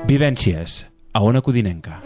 Vivències, a Ona Codinenca.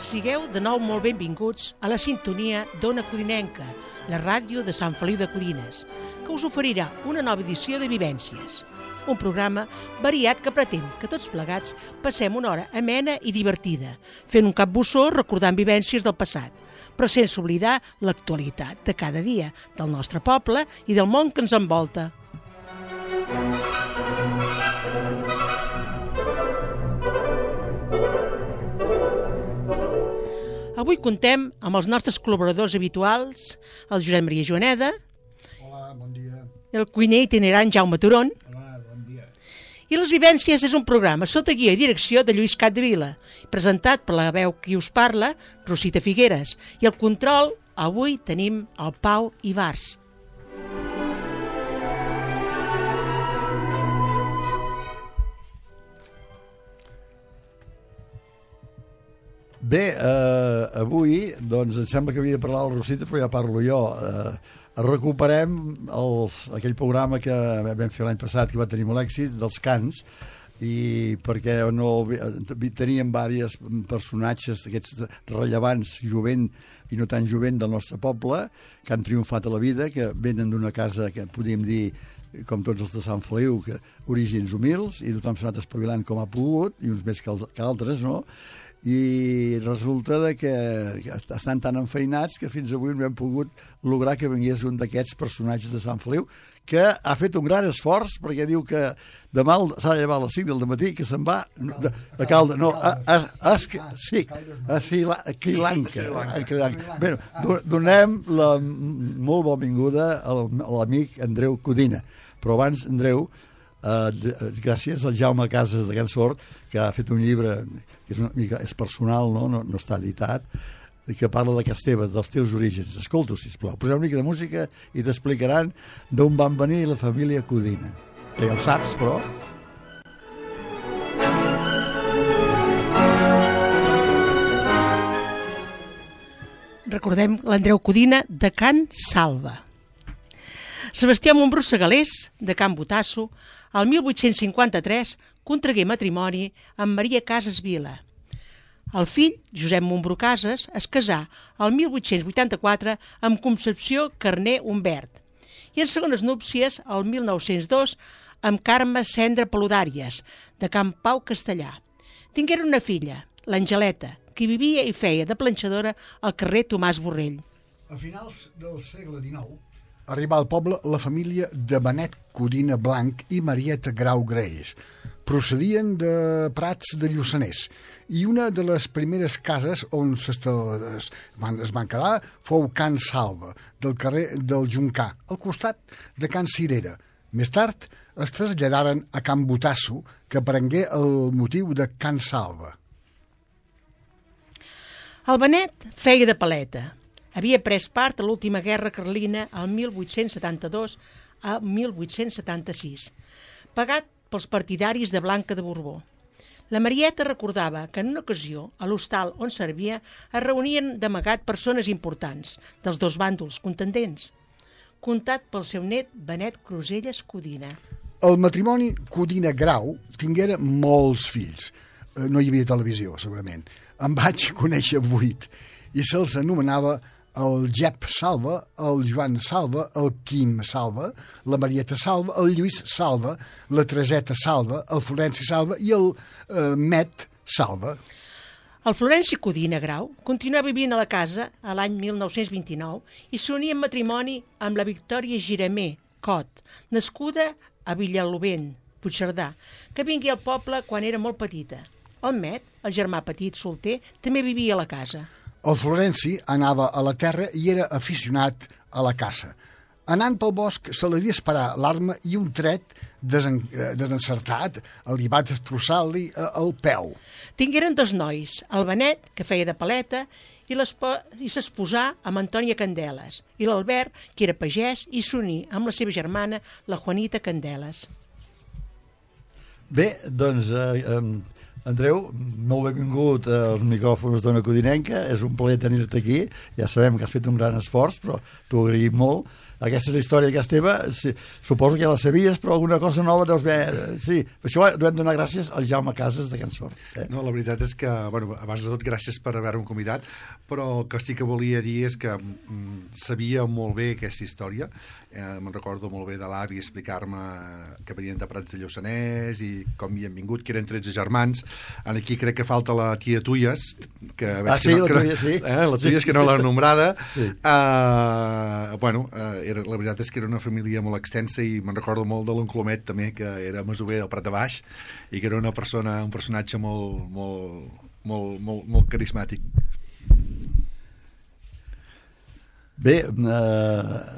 Sigueu de nou molt benvinguts a la sintonia d'Ona Codinenca, la ràdio de Sant Feliu de Codines, que us oferirà una nova edició de Vivències, un programa variat que pretén que tots plegats passem una hora amena i divertida, fent un capbussó recordant vivències del passat, però sense oblidar l'actualitat de cada dia, del nostre poble i del món que ens envolta. Avui contem amb els nostres col·laboradors habituals, el Josep Maria Joaneda. Hola, bon dia. El cuiner itinerant Jaume Turon. Hola, bon dia. I Les Vivències és un programa sota guia i direcció de Lluís Capdevila, presentat per la veu qui us parla, Rosita Figueres. I el control, avui tenim el Pau Ibars. Bé, avui, doncs, em sembla que havia de parlar la Rosita, però ja parlo jo. Recuperem aquell programa que vam fer l'any passat, que va tenir molt èxit, dels cants, i perquè teníem diversos personatges d'aquests rellevants, jovent i no tan jovent del nostre poble, que han triomfat a la vida, que venen d'una casa que podríem dir, com tots els de Sant Feliu, que orígens humils, i tothom s'ha anat espavilant com ha pogut, i uns més que altres, no? I resulta que estan tan enfeinats que fins avui no hem pogut lograr que vingués un d'aquests personatges de Sant Feliu, que ha fet un gran esforç, perquè diu que demà s'ha de llevar a les 5 del matí, que se'n va a Caldes, no, a Sri Lanka. Bé, donem la molt benvinguda a l'amic Andreu Codina, però abans, Andreu, gràcies al Jaume Casas de Can Sort, que ha fet un llibre que és personal, no està editat, que parla de Casteva, dels teus orígens. Escolta-ho, sisplau, poseu una mica de música i t'explicaran d'on van venir la família Codina, que ja ho saps, però... Recordem l'Andreu Codina de Can Salva. Sebastià Montbrú Segalés, de Can Botasso, el 1853 contragué matrimoni amb Maria Casas Vila. El fill, Josep Montbrú Casas, es casà el 1884 amb Concepció Carner Humbert i en segones núpcies el 1902 amb Carme Cendra Paludàries, de Can Pau Castellà. Tingueren una filla, l'Angeleta, que vivia i feia de planxadora al carrer Tomàs Borrell. A finals del segle XIX arribà al poble la família de Benet Codina Blanc i Marieta Grau Greix. Procedien de Prats de Lluçanès i una de les primeres cases on es van quedar fou Can Salva, del carrer del Juncà, al costat de Can Cirera. Més tard es traslladaren a Can Botasso, que prengué el motiu de Can Salva. El Benet feia de paleta. Havia pres part a l'última guerra carlina el 1872 a 1876, pagat pels partidaris de Blanca de Borbó. La Marieta recordava que en una ocasió, a l'hostal on servia, es reunien d'amagat persones importants dels dos bàndols contendents, contat pel seu net Benet Cruselles Codina. El matrimoni Codina Grau tinguera molts fills. No hi havia televisió, segurament. En vaig conèixer 8 i se'ls anomenava el Jep Salva, el Joan Salva, el Quim Salva, la Marieta Salva, el Lluís Salva, la Tereseta Salva, el Florenci Salva i el Met Salva. El Florenci Codina Grau continuà vivint a la casa a l'any 1929 i s'uní en matrimoni amb la Victòria Giramé Cot, nascuda a Villalobent, Puigcerdà, que vingué al poble quan era molt petita. El Met, el germà petit solter, també vivia a la casa. El Florenci anava a la terra i era aficionat a la caça. Anant pel bosc se li disparà l'arma i un tret desencertat li va destrossar-li el peu. Tingueren 2 nois, el Benet, que feia de paleta, i s'esposà amb Antònia Candeles, i l'Albert, que era pagès, i s'uní amb la seva germana, la Juanita Candeles. Bé, doncs, Andreu, molt benvingut als micròfons d'Ona Codinenca. És un plaer tenir-te aquí. Ja sabem que has fet un gran esforç, però t'ho agraïm molt. Aquesta és la història que és teva. Sí, suposo que ja la sabies, però alguna cosa nova deus haver... Sí, per això devem donar gràcies al Jaume Casas de Can Sort. No, la veritat és que, bueno, abans de tot, gràcies per haver-me convidat, però el que sí que volia dir és que sabia molt bé aquesta història. Me'n recordo molt bé de l'avi explicar-me que venien de Prats de Lluçanès i com hi han vingut, que eren 13 germans. Aquí crec que falta la tia Tuyes, que la Tuyes, sí. La Tuyes, que no l'ha nombrada. Sí. La veritat és que era una família molt extensa i me'n recordo molt de l'oncle Omet també, que era masover del Prat de Baix i que era un personatge molt carismàtic. Bé,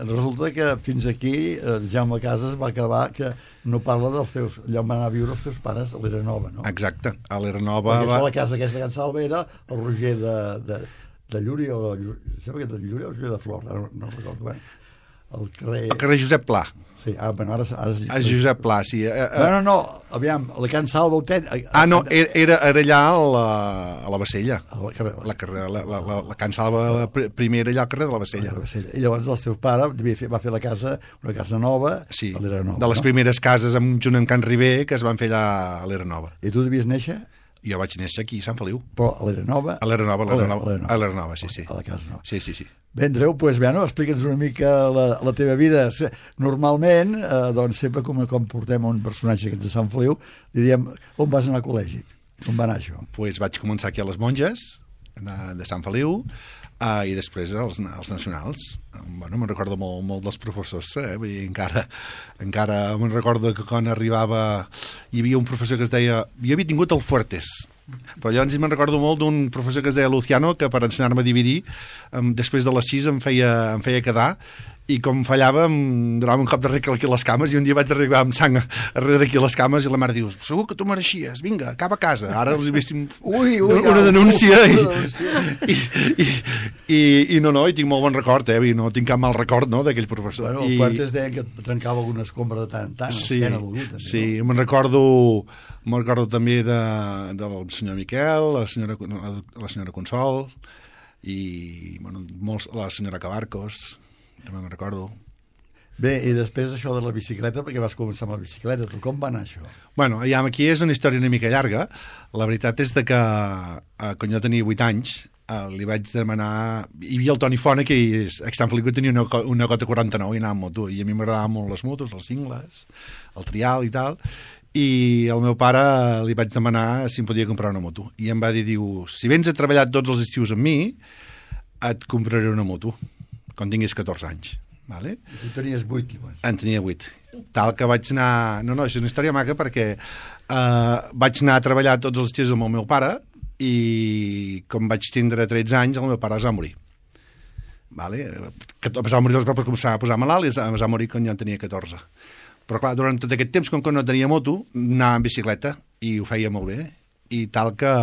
resulta que fins aquí Jaume Casas va acabar que no parla dels teus... Allà on van anar a viure els teus pares a l'Eranova, no? Exacte, a l'Eranova... Perquè la casa aquesta de Can Salva era el Roger de Llúria, sembla que de Llúria o Roger de Flor, no recordo bé. El carrer Josep Pla. Sí, bueno, ara és Josep Pla, sí. No, aviam, la Can Salva no, era allà a la Bassella. La Can Salva primera allà al carrer de la Bassella. I llavors el teu pare va fer la casa, una casa nova, sí, a l'Eranova. De les primeres cases junt amb Can Ribé que es van fer allà a l'Eranova. I tu devies néixer? Jo vaig néixer aquí, a Sant Feliu. Però a l'Eranova? A l'Eranova, sí. A la casa nova. Sí. Bé, Andreu, explica'ns una mica la teva vida. Normalment, doncs sempre com portem un personatge de Sant Feliu, diríem, on vas anar a col·legi? On va anar això? Pues vaig començar aquí a les Monges, de Sant Feliu, i després els nacionals. Bueno, me'n recordo molt dels professors, vull dir, encara me'n recordo que quan arribava hi havia un professor que es deia... Jo havia tingut el Fuertes, però llavors me'n recordo molt d'un professor que es deia Luciano, que per ensenyar-me a dividir, després de les 6 em feia quedar, i com fallava em donava un cop de rec aquí a les cames, i un dia vaig arribar amb sang darrere d'aquí a les cames i la mare diu, segur que tu mereixies, vinga, cap a casa. Ara els véssim una denúncia i no, i tinc molt bon record, i no tinc cap mal record, no, d'aquell professor. Bueno, el Fuertes deien que trencava alguna escombra de tant en tant, l'esquena d'algú també. Sí, me'n recordo també del senyor Miquel, la senyora Consol i la senyora Cabarcos, també me'n recordo. Bé, i després això de la bicicleta, perquè vas començar amb la bicicleta, tu com va anar això? Bueno, aquí és una història una mica llarga. La veritat és que quan jo tenia 8 anys li vaig demanar... Hi havia el Toni Fona, que a Sant Feliu tenia una Gota 49 i anava amb moto, i a mi m'agradaven molt les motos, els cingles, el trial i tal, i al meu pare li vaig demanar si em podia comprar una moto, i em va dir, si vens a treballar tots els estius amb mi, et compraré una moto quan tinguis 14 anys. Vale? I tu tenies 8, igual. En tenia 8. Tal que vaig anar... No, és una història maca perquè vaig anar a treballar tots els estius amb el meu pare i com vaig tindre 13 anys el meu pare es va morir. Vale? Es va morir, es va començar a posar malalt i es va morir quan jo en tenia 14. Però clar, durant tot aquest temps, com que no tenia moto, anava en bicicleta i ho feia molt bé. I tal que,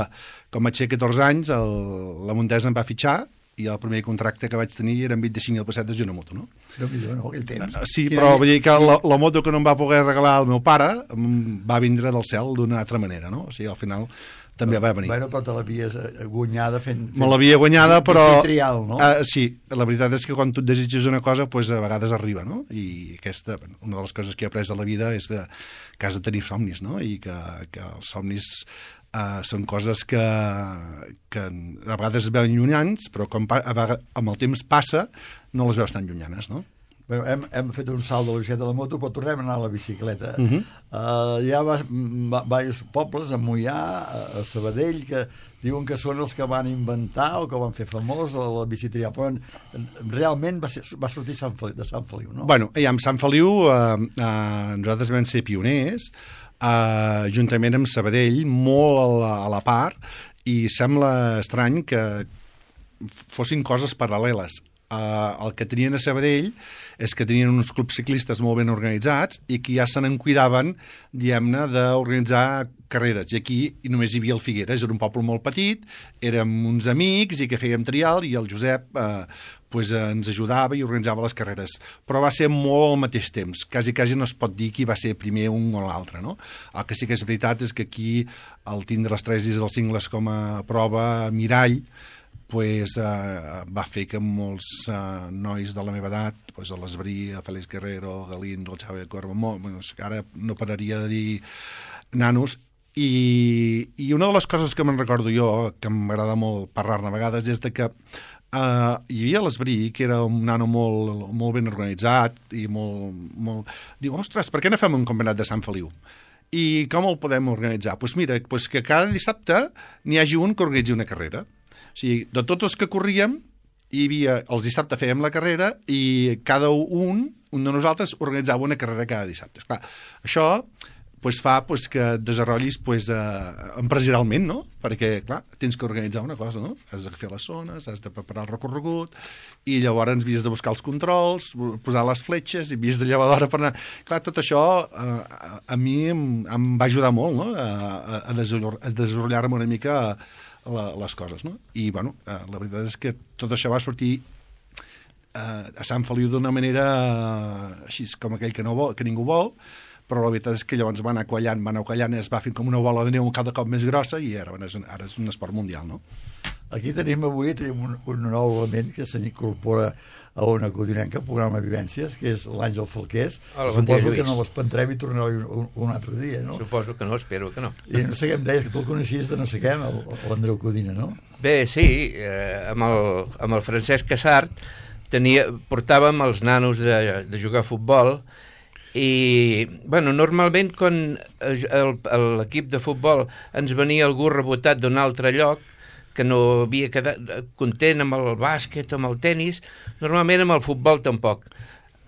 com vaig fer 14 anys, la Montesa em va fitxar i el primer contracte que vaig tenir eren 25.000 pessetes i una moto, no? Déu-n'hi-do, no, aquell temps. Sí, però vull dir que la moto que no em va poder regalar el meu pare va vindre del cel d'una altra manera, no? O sigui, al final també va venir. Bueno, però te l'havies guanyada fent... Me l'havia guanyada, però... trial, no? Sí, la veritat és que quan tu et desitges una cosa, pues, a vegades arriba, no? I aquesta, una de les coses que he après a la vida és que has de tenir somnis, no? I que els somnis... són coses que a vegades es veuen llunyans, però amb el temps passa no les veus tan llunyanes, no? Bueno, hem fet un salt de la bicicleta a la moto, però tornem a anar a la bicicleta. Hi ha diversos pobles, a Moià, a Sabadell, que diuen que són els que van inventar o que van fer famós la bicitrial, però realment va sortir de Sant Feliu, no? Bueno, amb Sant Feliu nosaltres vam ser pioners, juntament amb Sabadell, molt a la part, i sembla estrany que fossin coses paral·leles. El que tenien a Sabadell és que tenien uns clubs ciclistes molt ben organitzats i que ja se n'en cuidaven, diguem-ne, d'organitzar carreres. I aquí només hi havia el Figueres, era un poble molt petit, érem uns amics i que fèiem trial i el Josep ens ajudava i organitzava les carreres. Però va ser molt al mateix temps. Quasi no es pot dir qui va ser primer un o l'altre, no? El que sí que és veritat és que aquí, al tindre les 3 dies dels cingles com a prova mirall, va fer que molts nois de la meva edat, a l'Esbrí, a Félix Guerrero, a Galindo, al Xavi de Corba, ara no pararia de dir nanos, i una de les coses que me'n recordo jo, que m'agrada molt parlar-ne a vegades, és de que hi havia l'Esbrí, que era un nano molt ben organitzat, i molt... Diu, ostres, per què no fem un campionat de Sant Feliu? I com el podem organitzar? Doncs mira, que cada dissabte n'hi hagi un que organitzi una carrera. O sigui, de tots els que corríem, hi havia, els dissabtes fèiem la carrera i cada un de nosaltres organitzava una carrera cada dissabte. Esclar, això fa que et desenrotllis empresarialment, no? Perquè, clar, tens que organitzar una cosa, no? Has de fer les zones, has de preparar el recorregut i llavors havies de buscar els controls, posar les fletxes i havies de llevar d'hora per anar... Clar, tot això a mi em va ajudar molt, no? A desenrotllar-me una mica les coses, no? I, bueno, la veritat és que tot això va sortir a Sant Feliu d'una manera així com aquell que ningú vol, però la veritat és que llavors va anar quallant, es va fer com una bola de neu cada cop més grossa i ara és un esport mundial, no? Aquí tenim un nou element que s'incorpora a Ona Codinenca, programa Vivències, que és l'Àngel Falqués. Suposo que no l'espantarem i tornarà un altre dia, no? Suposo que no, espero que no. I no sé què em deies, que tu el coneixies de no sé què, l'Andreu Codina, no? Bé, sí, amb el Francesc Casart portàvem els nanos de jugar a futbol i, bueno, normalment quan l'equip de futbol ens venia algú rebotat d'un altre lloc que no havia quedat content amb el bàsquet, amb el tennis, normalment amb el futbol tampoc.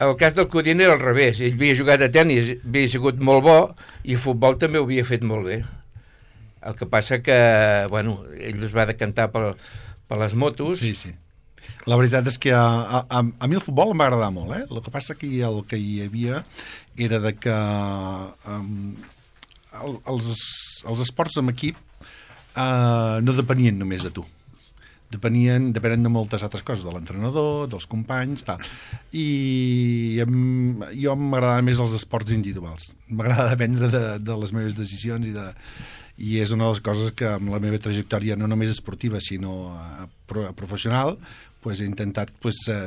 El cas del Codina era al revés, ell havia jugat a tennis, havia sigut molt bo i el futbol també ho havia fet molt bé. El que passa que, bueno, ell es va decantar per les motos. Sí, sí. La veritat és que a mi el futbol em va agradar molt, eh? El que passa que el que hi havia era de que els esports en equip no depenien només de tu. Depenen de moltes altres coses, de l'entrenador, dels companys, tal. I jo m'agradaven més els esports individuals. M'agrada prendre de les meves decisions i és una de les coses que amb la meva trajectòria no només esportiva sinó professional he intentat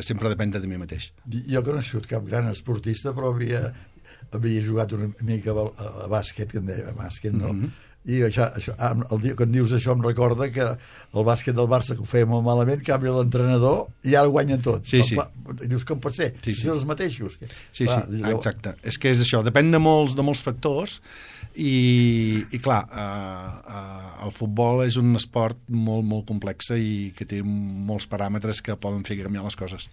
sempre dependre de mi mateix. Jo que no he sigut cap gran esportista però havia jugat una mica a bàsquet, que en deia, a bàsquet, no? I això, el dia que em dius això em recorda que el bàsquet del Barça, que ho feia molt malament, canvia l'entrenador i ara guanyen tot. Sí, sí. Dius, com pot ser? Sí, si són els mateixos. Sí, clar, sí, exacte. És que és això, depèn de molts factors i clar, el futbol és un esport molt, molt complex i que té molts paràmetres que poden fer canviar les coses.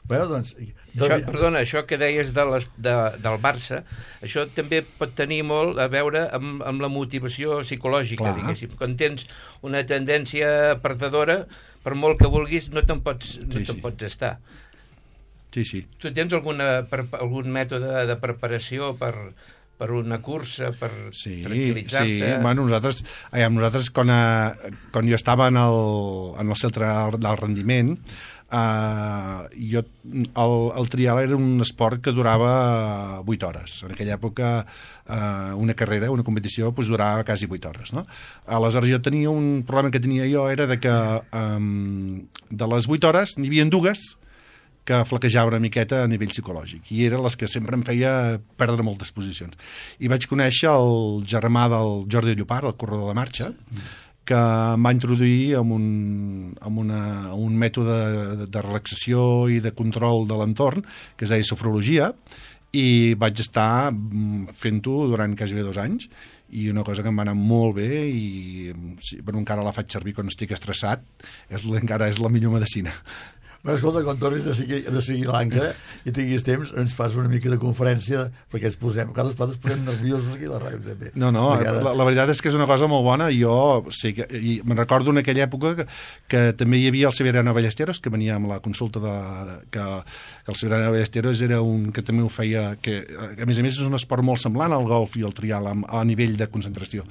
Bueno, doncs... Perdona, això que deies del Barça, això també pot tenir molt a veure amb la motivació psicològica, diguéssim. Quan tens una tendència perdedora, per molt que vulguis, no te'n pots estar. Sí, sí. Tu tens algun mètode de preparació per una cursa, per tranquil·litzar-te? Sí, bueno, nosaltres quan jo estava en el centre del rendiment, el trial era un esport que durava 8 hores. En aquella època una carrera, una competició durava quasi 8 hores, no? Aleshores jo tenia un problema que tenia jo era de que de les 8 hores n'hi havia 2 que flaquejava una miqueta a nivell psicològic i eren les que sempre em feia perdre moltes posicions. I vaig conèixer el germà del Jordi Llopart, el corredor de marxa, que em va introduir en un mètode de relaxació i de control de l'entorn, que es deia sofrologia, i vaig estar fent-ho durant quasi 2 anys, i una cosa que em va anar molt bé, i encara la faig servir quan estic estressat, encara és la millor medicina. Però escolta, quan tornis de Sri Lanka i tinguis temps, ens fas una mica de conferència, perquè cada vegada ens posem nerviosos aquí a la ràdio també. No, la veritat és que és una cosa molt bona. Jo i me'n recordo en aquella època que també hi havia el Severiano Ballesteros, que venia amb la consulta que el Severiano Ballesteros era un que també ho feia, que a més és un esport molt semblant al golf i al trial a nivell de concentració.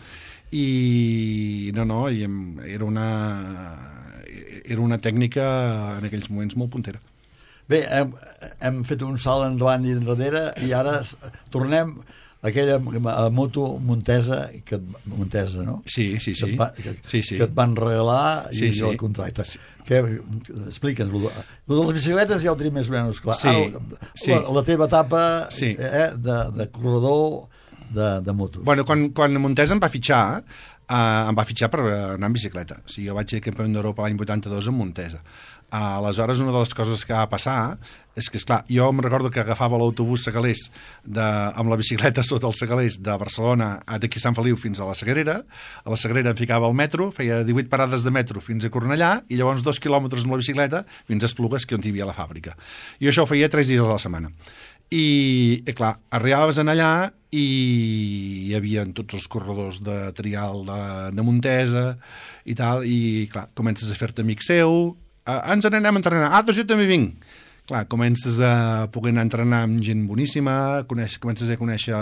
I era una tècnica en aquells moments molt puntera. Bé, hem fet un salt endavant i enrere i ara tornem a aquella moto Montesa, no? Sí. Que et van regalar i el contracte. Explica'ns, lo de les bicicletes ja ho tenim més o menys clar. La teva etapa de corredor de motos. Bueno, quan Montesa em va fitxar per anar en bicicleta. O sigui, jo vaig ser campió d'Europa l'any 82 en Montesa. Aleshores, una de les coses que va passar és que, esclar, jo em recordo que agafava l'autobús Segalers amb la bicicleta sota els Segalers de Barcelona d'aquí a Sant Feliu fins a la Sagrera. A la Sagrera em ficava al metro, feia 18 parades de metro fins a Cornellà i llavors 2 quilòmetres amb la bicicleta fins a Esplugues, que on hi havia la fàbrica. I això ho feia 3 dies a la setmana. I clar, arribaves allà i hi havia tots els corredors de trial de Montesa i tal, i clar, comences a fer-te amic seu. Ens n'anem a entrenar. Doncs jo també vinc. Clar, comences a poder anar a entrenar amb gent boníssima, comences a conèixer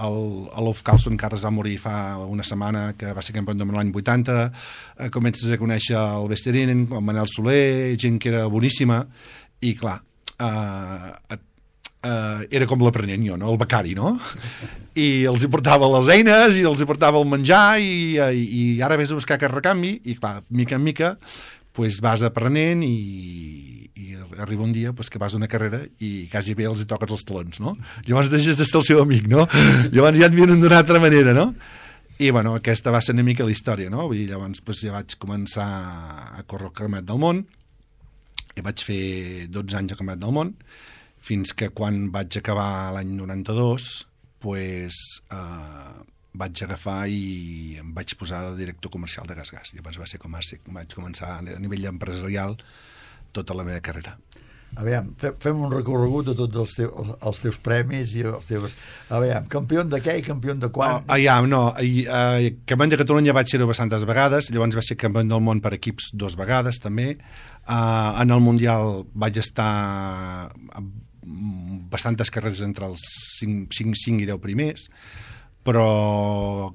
l'Ulf Carlson, que ara es va morir fa una setmana, que va ser campió de l'any 80, comences a conèixer el Vesterinen, el Manel Soler, gent que era boníssima, i clar, era com l'aprenent jo, no? El becari, no? I els hi portava les eines i els hi portava el menjar i ara vés a buscar aquest recanvi i clar, mica en mica pues, vas aprenent i arriba un dia pues, que vas a una carrera i quasi bé els hi toques els talons, no? Llavors deixes d'estar el seu amic, no? Llavors ja et vienen d'una altra manera, no? I bueno, aquesta va ser una mica la història, no? Vull dir, llavors pues, ja vaig començar a córrer el Campionat del Món i vaig fer 12 anys al Campionat del Món fins que quan vaig acabar l'any 92 pues, vaig agafar i em vaig posar de director comercial de Gas. Llavors va ser com vaig començar a nivell empresarial tota la meva carrera. A veure, fem un recorregut de tots els teus premis i els teus... A veure, campió de què i campió de quan? Campió de Catalunya vaig ser-ho bastantes vegades, llavors vaig ser campió del món per equips 2 vegades també. En el Mundial vaig estar bastantes carreres entre els 5 i 10 primers, però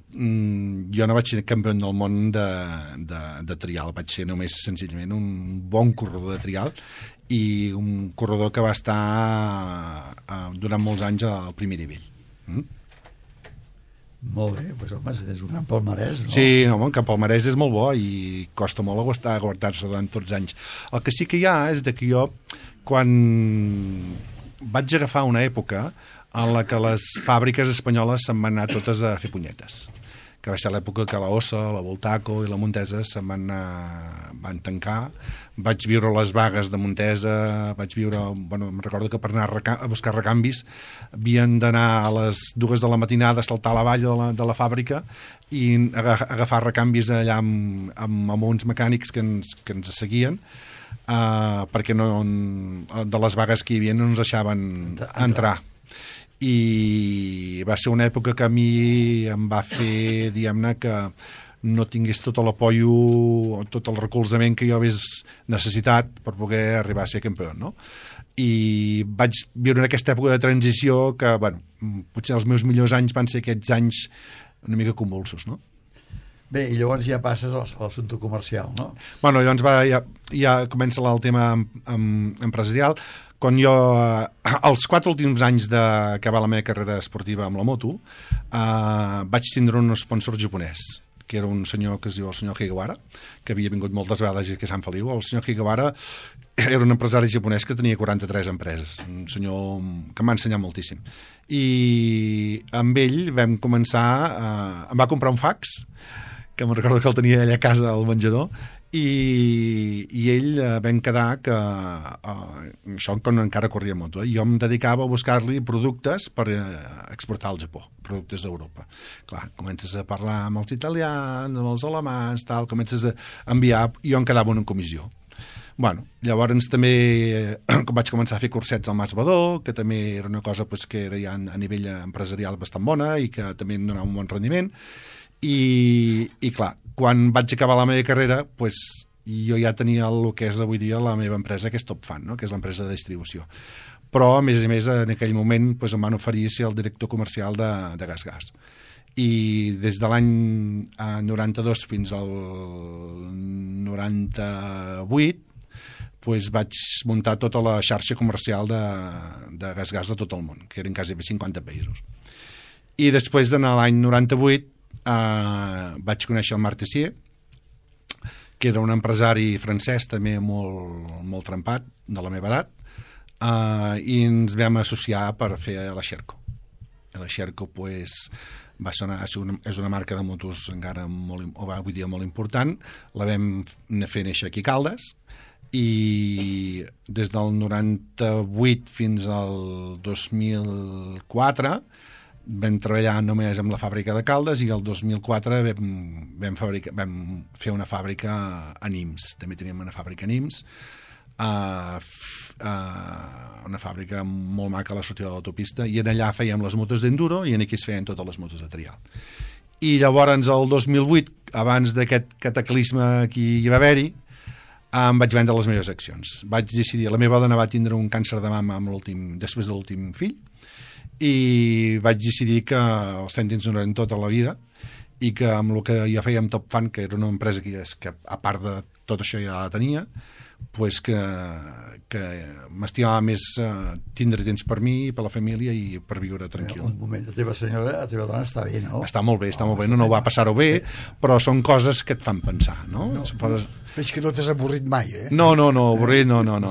jo no vaig ser campió del món de trial, vaig ser només senzillament un bon corredor de trial i un corredor que va estar durant molts anys al primer nivell. Molt bé, doncs home, és un gran palmarès, no? Sí, no, el palmarès és molt bo i costa molt aguantar-se durant tots els anys. El que sí que hi ha és que jo, quan vaig agafar una època en la que les fàbriques espanyoles se'n van anar totes a fer punyetes, que va ser l'època que la Ossa, la Voltaco i la Montesa se'n van tancar. Vaig viure les vagues de Montesa, em recordo que per anar a buscar recanvis havien d'anar a les 2 de la matinada a saltar a la vall de la fàbrica i agafar recanvis allà amb uns mecànics que ens seguien, perquè de les vagues que hi havia no ens deixaven entrar. I va ser una època que a mi em va fer, diguem-ne, que no tingués tot l'apoyo, tot el recolzament que jo hagués necessitat per poder arribar a ser campió, no? I vaig viure en aquesta època de transició que, bueno, potser els meus millors anys van ser aquests anys una mica convulsos, no? Bé, i llavors ja passes a l'assumpte comercial, no? Bueno, llavors ja comença el tema empresarial. Quan jo, els 4 últims anys d'acabar la meva carrera esportiva amb la moto, vaig tindre un sponsor japonès, que era un senyor que es diu el senyor Higawara, que havia vingut moltes vegades aquí a Sant Feliu. El senyor Higawara era un empresari japonès que tenia 43 empreses, un senyor que m'ha ensenyat moltíssim. I amb ell vam començar, em va comprar un fax, que me'n recordo que el tenia allà a casa al menjador, i ell vam quedar que això quan encara corria moto, jo em dedicava a buscar-li productes per exportar al Japó, productes d'Europa. Clar, comences a parlar amb els italians, amb els alemans, tal, comences a enviar, i jo em quedava en una comissió. Bueno, llavors també vaig començar a fer cursets al Mas Badó, que també era una cosa pues, que era ja a nivell empresarial bastant bona i que també em donava un bon rendiment. I clar, quan vaig acabar la meva carrera, pues, jo ja tenia el que és avui dia la meva empresa, que és Topfan, no? Que és l'empresa de distribució. Però, a més, en aquell moment pues, em van oferir ser el director comercial de GasGas. I des de l'any 92 fins al 98 pues vaig muntar tota la xarxa comercial de GasGas de tot el món, que eren quasi 50 països. I després, en l'any 98, vaig conèixer el Marc Tessier, que era un empresari francès també molt trempat, de la meva edat, i ens vam associar per fer la Sherco. La Sherco pues, és una marca de motos encara avui dia molt important, la vam fer néixer aquí a Caldes, i des del 98 fins al 2004 vam treballar només amb la fàbrica de Caldes, i el 2004 vam fer una fàbrica a Nims. També teníem una fàbrica a Nims, una fàbrica molt maca a la sortida de l'autopista, i en allà fèiem les motos d'enduro i en aquí es feien totes les motos de trial. I llavors el 2008, abans d'aquest cataclisme que hi va haver-hi, em vaig vendre les meves accions. Vaig decidir, la meva dona va tindre un càncer de mama després de l'últim fill, i vaig decidir que els cèntims no eren tota la vida, i que amb el que ja fèiem Topfan, que era una empresa que a part de tot això ja la tenia, pues que m'estimava més tindre temps per mi, per la família i per viure tranquil. Un moment, la teva dona està bé, no? Està molt bé, no va passar-ho bé, però són coses que et fan pensar, no? Veig que no t'has avorrit mai, eh? No, avorrit no. No.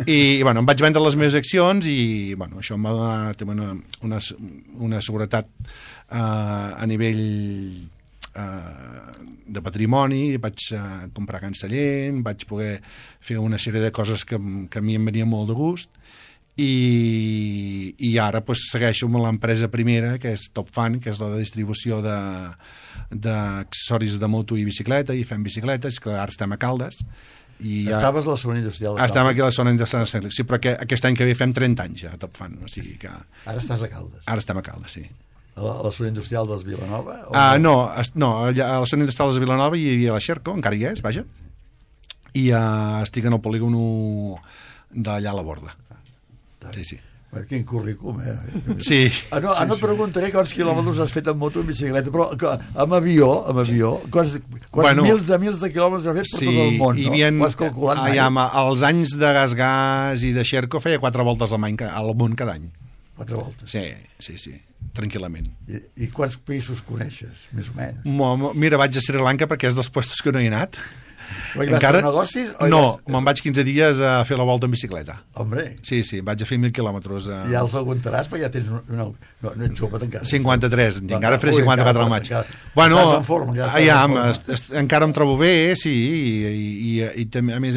I, bueno, em vaig vendre les meves accions i, bueno, això em va donar una seguretat a nivell de patrimoni, vaig comprar cancellent, vaig poder fer una sèrie de coses que a mi em venia molt de gust, i ara pues, segueixo amb l'empresa primera, que és Topfan, que és la de distribució d'accessoris de moto i bicicleta, i fem bicicletes, que ara estem a Caldes. Estaves a la zona industrial de Caldes? Estem aquí a la zona industrial de Caldes, sí, però aquest any que ve fem 30 anys ja a Topfan, o sigui que... Ara estàs a Caldes? Ara estem a Caldes, sí. A la zona industrial dels Vilanova? No, a la zona industrial dels Vilanova hi havia la Sherco, encara hi és, vaja, i estic en el polígon d'allà a la Borda. Sí. Quin currículum, eh? Sí. No et preguntaré quants quilòmetres has fet en moto, en bicicleta, però amb avió, quants mils de quilòmetres has fet per tot el món, no? Ho has calculat mai? Els anys de GasGas i de Sherco feia 4 voltes al món cada any. 4 voltes? Sí, tranquil·lament. I quants països coneixes, més o menys? Mira, vaig a Sri Lanka perquè és dels puestos que no he anat. Però hi vas per negocis? Me'n vaig 15 dies a fer la volta en bicicleta. Hombre. Sí, vaig a fer 1.000 quilòmetres. Ja els aguantaràs, perquè ja tens... No ets jove encara. 53, encara faré 54 al maig. Bueno, encara em trobo bé, sí, i també, a més,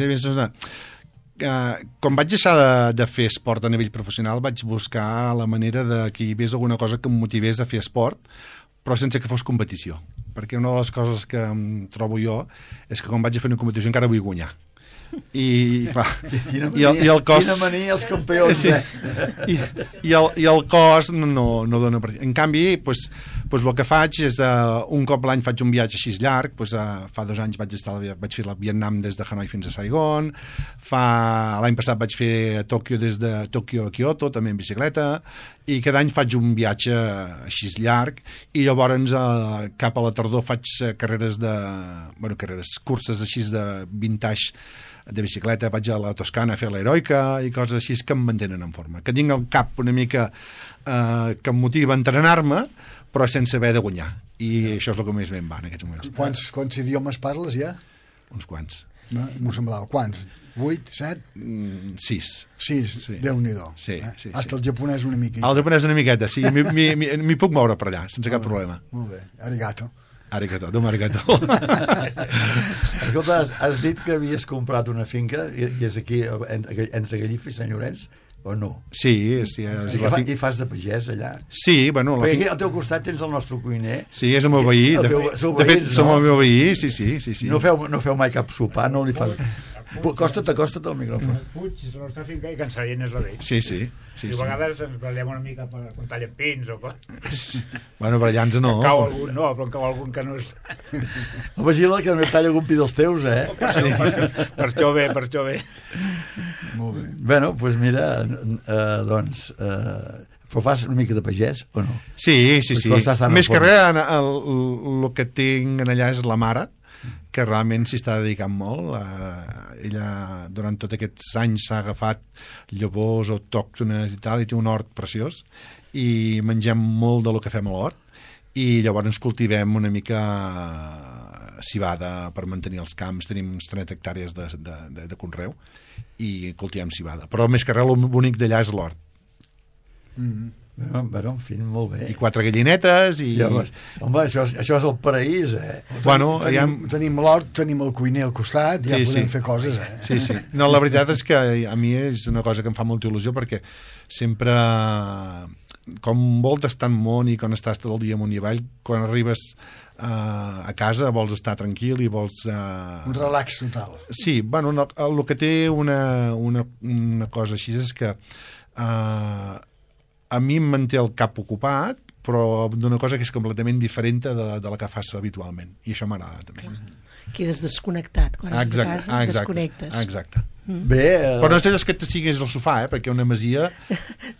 quan vaig deixar de fer esport a nivell professional, vaig buscar la manera de que hi hagués alguna cosa que em motivés a fer esport, però sense que fos competició, perquè una de les coses que em trobo jo és que quan vaig a fer una competició encara vull guanyar. I el cos... Quina mania els campions, I el cos no dona per... En canvi, el que faig és un cop l'any faig un viatge així llarg, fa 2 anys vaig fer el Vietnam des de Hanoi fins a Saigon, l'any passat vaig fer Tòquio des de Tòquio a Kyoto, també en bicicleta, i cada any faig un viatge així llarg, i llavors cap a la tardor faig curses així de vintage de bicicleta, vaig a la Toscana a fer l'heroica i coses així que em mantenen en forma, que tinc el cap una mica que em motiva a entrenar-me, però sense haver de guanyar, i això és el que més ben va en aquests moments. Quants idiomes parles ja? Uns quants. M'ho semblava. Quants? 8, 7? 6. 6, sí. Déu-n'hi-do. Sí. Hasta el japonès una miqueta. El japonès una miqueta, sí. M'hi puc moure per allà, sense cap problema. Molt bé, arigato. Arigato. Escolta, has dit que havies comprat una finca i és aquí, entre Gallifa i Sant Llorenç, o no? Sí, I fas de pagès allà? Sí, bueno... Perquè aquí al teu costat tens el nostre cuiner. Sí, és el meu veí. De fet, som el meu veí, sí. No feu mai cap sopar, no li fas... Acosta't al micròfon. Puig, la nostra finca, i Can Sallent és la d'ell. Sí. I a vegades ens barallem una mica quan tallen pins o cos. Bueno, barallant-nos no. Cau algun, no, però en cau algun que no és... Vigila que no talla algun pi dels teus, eh? Sí. Per això bé. Molt bé. Bueno, doncs mira, però fas una mica de pagès o no? Sí. Més que res, el que tinc allà és la mare, que realment s'hi està dedicant molt. Ella durant tots aquests anys s'ha agafat llavors autòctones i tal, i té un hort preciós i mengem molt del que fem a l'hort, i llavors cultivem una mica civada per mantenir els camps. Tenim uns 30 hectàrees de conreu i cultivem civada, però més que res el bonic d'allà és l'hort. Bueno, en fi, molt bé. I 4 gallinetes i... Home, això és el paraís, eh? Bueno, tenim l'hort, tenim el cuiner al costat, ja podem fer coses, eh? Sí. No, la veritat és que a mi és una cosa que em fa molta il·lusió, perquè sempre, com voltes tant món i quan estàs tot el dia amunt i avall, quan arribes a casa vols estar tranquil i vols... Un relax total. Sí, bueno, el que té una cosa així és que a mi em manté el cap ocupat, però d'una cosa que és completament diferent de la que fas habitualment, i això m'agrada també. Quedes desconnectat quan estàs a casa, desconnectes. Exacte. Bé, però no és d'allò que t'estiguis al sofà, perquè una masia...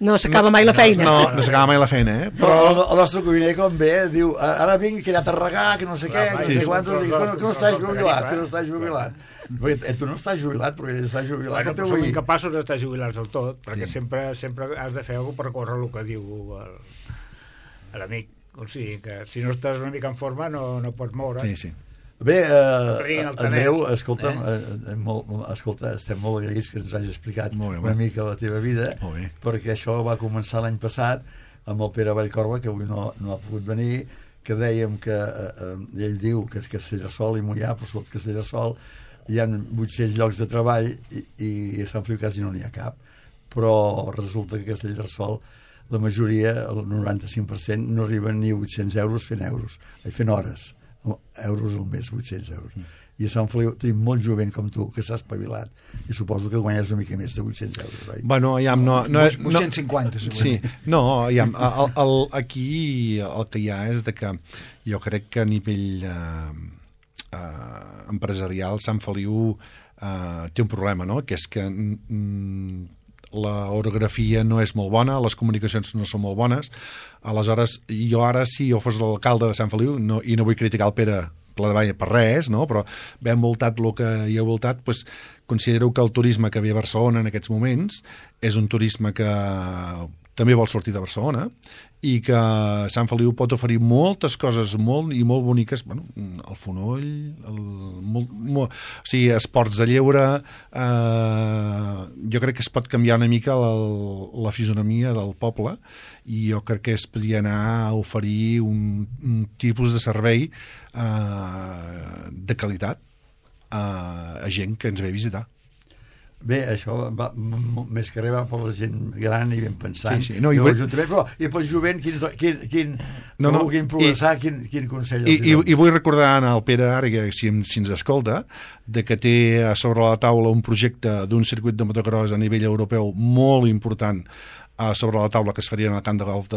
No s'acaba mai la feina. No s'acaba mai la feina, eh? Però el nostre cuiner, com ve, diu, ara vinc, que he anat a regar, que no sé què, que no sé quantos, que no estàs jubilat. Perquè tu no estàs jubilat, perquè estàs jubilat. Bueno, som incapaços d'estar jubilats del tot, perquè sempre has de fer alguna cosa per córrer el que diu l'amic. O sigui, que si no estàs una mica en forma no pots moure. Sí. Bé, Andreu, escolta'm, estem molt agraïts que ens hagis explicat una mica la teva vida, perquè això va començar l'any passat amb el Pere Vallcorba, que avui no ha pogut venir, que dèiem que ell diu que és Castellterçol i Moià, però sota Castellterçol hi ha 800 llocs de treball i a Sant Feliu quasi no n'hi ha cap, però resulta que a Castellterçol la majoria, el 95%, no arriben ni 800 euros fent hores, euros al mes, 800 euros. I a Sant Feliu tenim molt jovent com tu que s'ha espavilat i suposo que guanyes una mica més de 800 euros, oi? Bueno, no, 850 sí, no, aquí el que hi ha és de que jo crec que a nivell empresarial Sant Feliu té un problema, no? Que és que la orografia no és molt bona, les comunicacions no són molt bones, aleshores jo ara, si jo fos l'alcalde de Sant Feliu, i no vull criticar el Pere Pladevall per res, no? Però ben voltat el que hi ha voltat, doncs, considero que el turisme que ve a Barcelona en aquests moments és un turisme que també vol sortir de Barcelona i que Sant Feliu pot oferir moltes coses molt boniques, bueno, el fonoll, o sigui, esports de lleure, jo crec que es pot canviar una mica la fisonomia del poble i jo crec que es podria anar a oferir un tipus de servei de qualitat a gent que ens ve a visitar. Bé, això va, més que res va per la gent gran i ben pensant. Sí. No, i pel jovent, quin progressar, quin consell? I vull recordar al Pere, ara que si ens escolta, de que té a sobre la taula un projecte d'un circuit de motocross a nivell europeu molt important sobre la taula que es faria en el camp de golf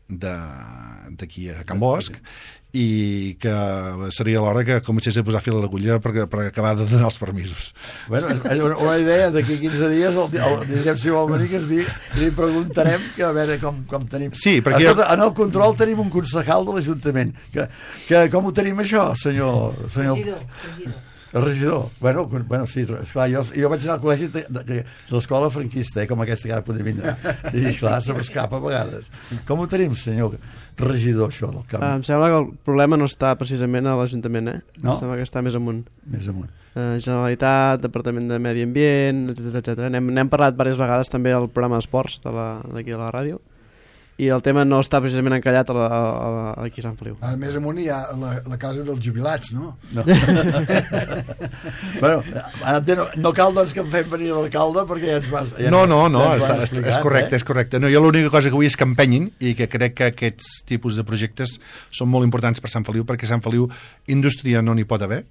d'aquí a Can Bosch, i que seria l'hora que comencés a posar fil a l'agulla per acabar de donar els permisos. Bueno, una idea, d'aquí 15 dies direm si vol venir, que li preguntarem que a veure com tenim. Sí, perquè en el control tenim un concejal de l'Ajuntament que com ho tenim això, senyor el regidor. Bueno, sí, esclar, jo vaig anar al col·legi de l'escola franquista, com aquesta que ara podem vindre, i clar, se m'escapa a vegades. Com ho tenim, senyor regidor, això del camp? Em sembla que el problema no està precisament a l'Ajuntament, No? Em sembla que està més amunt. Més amunt. Generalitat, Departament de Medi Ambient, etc. N'hem parlat diverses vegades també al programa d'esports d'aquí a la ràdio, i el tema no està precisament encallat aquí a Sant Feliu. A més amunt hi ha la casa dels jubilats, no? No. Bueno, no cal doncs que em fem venir l'alcalde perquè ja ens vas... No, és correcte, és correcte. No, jo l'única cosa que vull és que empenyin i que crec que aquests tipus de projectes són molt importants per Sant Feliu, perquè Sant Feliu indústria no n'hi pot haver,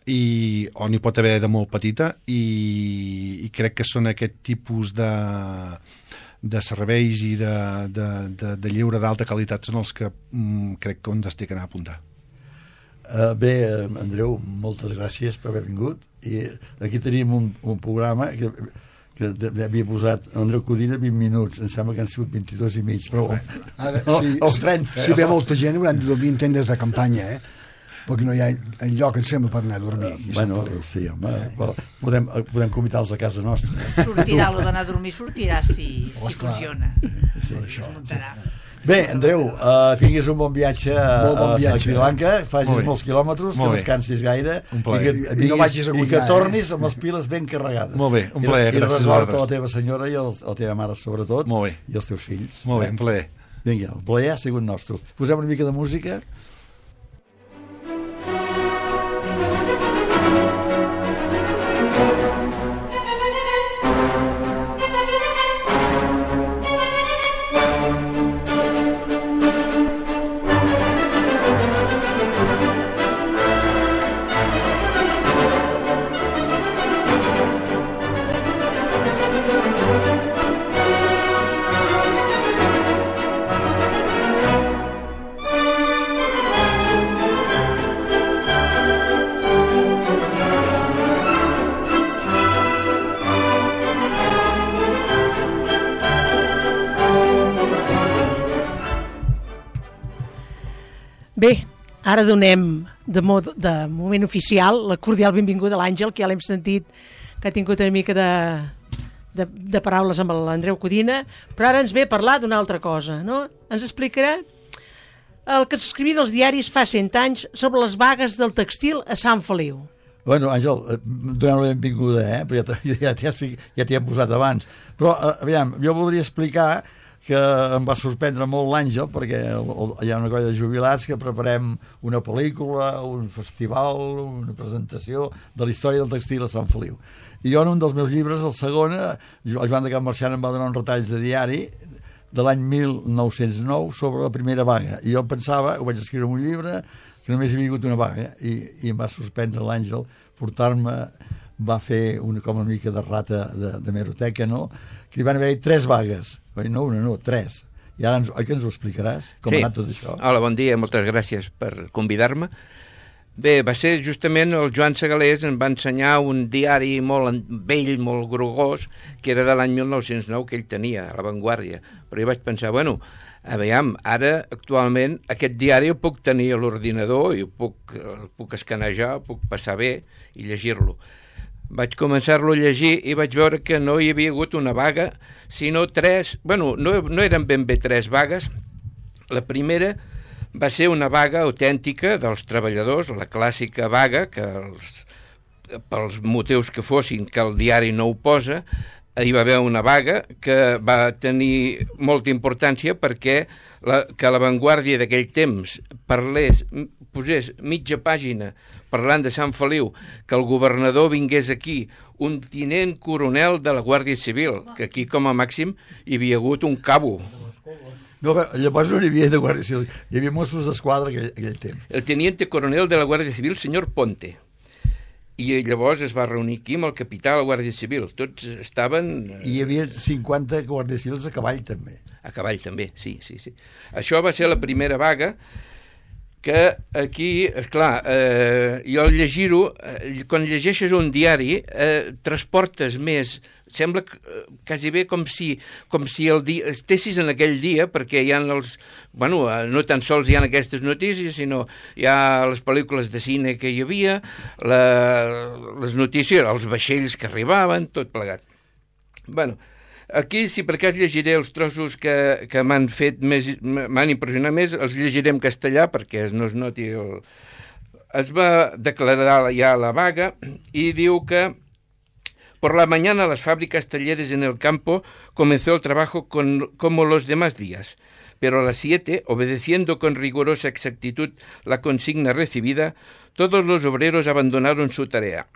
o n'hi pot haver de molt petita, i crec que són aquest tipus de serveis i de lleure d'alta qualitat són els que crec que on es té que anar a apuntar. Bé, Andreu, moltes gràcies per haver vingut, i aquí tenim un programa que havia posat Andreu Codina 20 minuts, em sembla que han sigut 22 i mig, però ara, els 30. Si ve molta gent hauran de dormir en tendes de campanya, perquè no hi ha enlloc, em sembla, per anar a dormir. Bueno, sí, home, podem convidar-los a casa nostra. Sortirà, lo d'anar a dormir sortirà si funciona. Sí, això. Bé, Andreu, tinguis un bon viatge a Sri Lanka, facis molts quilòmetres, que no et cansis gaire, i que tornis amb les piles ben carregades. Molt bé, un plaer, gràcies a vosaltres. A la teva senyora i a la teva mare, sobretot, i els teus fills. Molt bé, un plaer. Vinga, el plaer ha sigut nostre. Posem una mica de música. Bé, ara donem de moment oficial la cordial benvinguda a l'Àngel, que ja l'hem sentit que ha tingut una mica de paraules amb l'Andreu Codina, però ara ens ve a parlar d'una altra cosa, no? Ens explicarà el que s'escrivien als diaris fa 100 anys sobre les vagues del textil a Sant Feliu. Bueno, Àngel, donem la benvinguda, perquè ja t'hi hem posat abans. Però, aviam, jo voldria explicar que em va sorprendre molt l'Àngel, perquè hi ha una colla de jubilats que preparem una pel·lícula, un festival, una presentació de la història del textil a Sant Feliu. I jo en un dels meus llibres, el segon, el Joan de Can Marxant em va donar uns retalls de diari de l'any 1909 sobre la primera vaga. I jo pensava, ho vaig escriure en un llibre, que només hi havia hagut una vaga, i em va sorprendre l'Àngel portar-me, va fer com una mica de rata de meroteca, no? Que hi van haver 3 vagues. No una, no, 3. I ara que ens ho explicaràs? Com ha anat tot això? Hola, bon dia, moltes gràcies per convidar-me. Bé, va ser justament el Joan Segalés em va ensenyar un diari molt vell, molt grogós, que era de l'any 1909, que ell tenia, a La Vanguardia. Però jo vaig pensar, bueno, aviam, ara, actualment, aquest diari el puc tenir a l'ordinador i el puc escanejar, el puc passar bé i llegir-lo. Vaig començar-lo a llegir i vaig veure que no hi havia hagut una vaga, sinó 3, bueno, no eren ben bé 3 vagues. La primera va ser una vaga autèntica dels treballadors, la clàssica vaga, que pels motius que fossin, que el diari no ho posa, hi va haver una vaga que va tenir molta importància perquè que La Vanguardia d'aquell temps posés mitja pàgina parlant de Sant Feliu, que el governador vingués aquí, un tinent coronel de la Guàrdia Civil, que aquí com a màxim hi havia hagut un cabo. No, llavors no hi havia de Guàrdia Civil, hi havia Mossos d'Esquadra aquell temps. El teniente coronel de la Guàrdia Civil, senyor Ponte. I llavors es va reunir aquí amb el capità de la Guàrdia Civil. Tots estaven... I hi havia 50 guàrdies civils a cavall, també. A cavall, també, sí. Això va ser la primera vaga, que aquí, esclar, jo al llegir-ho, quan llegeixes un diari, transportes més... Sembla quasi bé com si estessis en aquell dia, perquè hi ha els... Bueno, no tan sols hi ha aquestes notícies, sinó hi ha les pel·lícules de cine que hi havia, les notícies, els vaixells que arribaven, tot plegat. Bueno, aquí, si per cas llegiré els trossos que m'han fet més, m'han impressionat més, els llegiré en castellà perquè no es noti el... Es va declarar ja la vaga i diu que Por la mañana las fábricas, talleres en el campo comenzó el trabajo como los demás días, pero a las 7, obedeciendo con rigurosa exactitud la consigna recibida, todos los obreros abandonaron su tarea,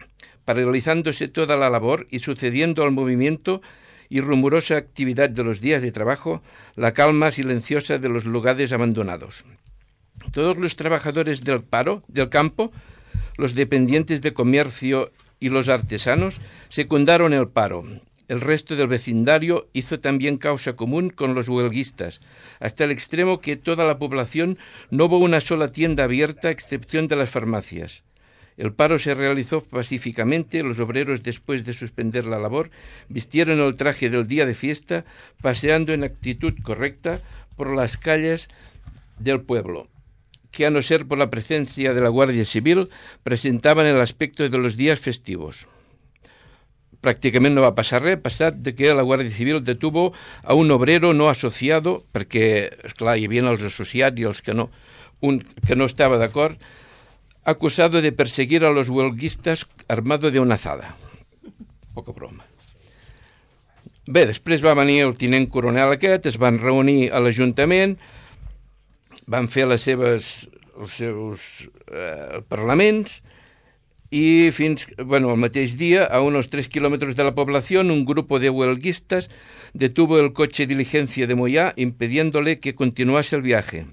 paralizándose toda la labor y sucediendo al movimiento y rumorosa actividad de los días de trabajo, la calma silenciosa de los lugares abandonados. Todos los trabajadores del campo, los dependientes de comercio y los artesanos secundaron el paro. El resto del vecindario hizo también causa común con los huelguistas, hasta el extremo que toda la población no hubo una sola tienda abierta a excepción de las farmacias. El paro se realizó pacíficamente, los obreros, después de suspender la labor, vistieron el traje del día de fiesta, paseando en actitud correcta por las calles del pueblo, que a no ser por la presencia de la Guardia Civil, presentaven el aspecte de los dies festius. Pràcticament no va passar res, passat de que la Guàrdia Civil detuvo a un obrero no associado, perquè, esclar, hi havia els associats i els que no, un que no estava d'acord, acusado de perseguir a los huelguistas armado de una azada. Poca broma. Bé, després va venir el tinent coronel aquest, es van reunir a l'Ajuntament, van fer els seus parlaments, y el mateix día, a unos 3 kilómetros de la población, un grupo de huelguistas detuvo el coche diligencia de Moyá, impidiéndole que continuase el viaje.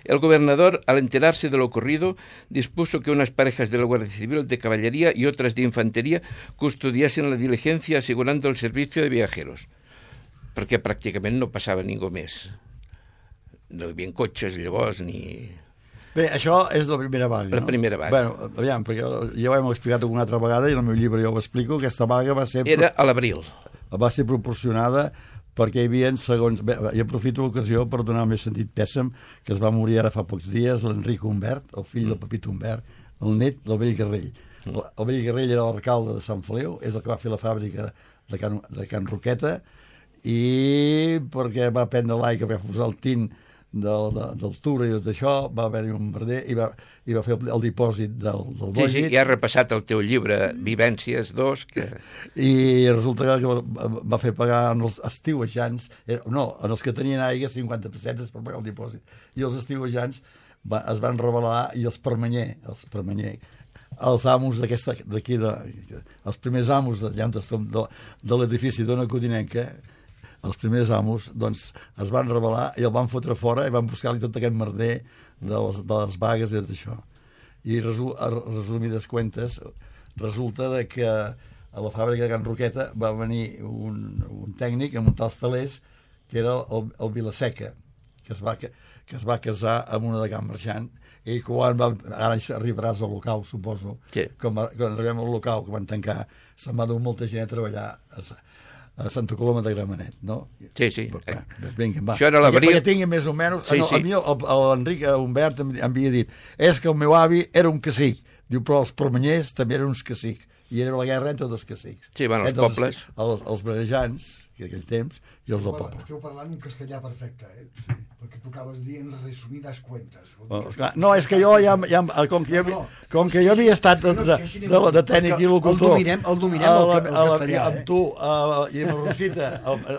El gobernador, al enterarse de lo ocurrido, dispuso que unas parejas de la Guardia Civil de Caballería y otras de Infantería custodiasen la diligencia, asegurando el servicio de viajeros, perquè pràcticament no passava ningú més. No hi havia cotxes llavors ni... Bé, això és la primera vaga, no? La primera vaga. Bueno, aviam, perquè ja ho hem explicat alguna altra vegada i en el meu llibre jo ho explico, aquesta vaga va ser... Era a l'abril. Va ser proporcionada perquè hi havia, segons... Bé, jo aprofito l'ocasió per donar el més sentit pèssam, que es va morir ara fa pocs dies, l'Enric Humbert, el fill del Pepito Humbert, el net del vell Garrell. El vell Garrell era l'alcalde de Sant Feliu, és el que va fer la fàbrica de Can Roqueta, i perquè va prendre l'aigua, que va posar el tint del Tura i tot això, va haver-hi un merder i va fer el dipòsit del bòllit. Sí, ja has repassat el teu llibre Vivències 2 que... I resulta que va fer pagar als estiuejants, no, en els que tenien aigua 50 pessetes per pagar el dipòsit, i els estiuejants es van rebel·lar i els permanyer, els amos d'aquí, els primers amos de l'edifici d'Ona Codinenca, els primers amos, doncs, es van rebel·lar i el van fotre fora i van buscar-li tot aquest merder de les vagues i tot això. I resumides cuentes, resulta que a la fàbrica de Can Roqueta va venir un tècnic a muntar els telers, que era el Vilaseca, que es va casar amb una de Can Marxant, i quan ara arribaràs al local, suposo, sí. Quan arribem al local, que van tancar, se'n va dur molta gent a treballar a Santa Coloma de Gramenet, no? Sí. Vinga, va. Això era l'abril. Perquè tingui més o menys... Sí. A mi l'Enric Humbert em havia dit és que el meu avi era un cacic. Diu, però els permanyers també eren uns cacics. I era la guerra entre dos cacics. Sí, bueno, els pobles. Els barejans, que aquell temps, i els del poble. Esteu parlant un castellà perfecte, Sí, perquè tu acabes dient resumides cuentes. No, és que jo com que jo havia estat de tècnic i locutor... El dominem el castellà, amb tu i amb la Rosita,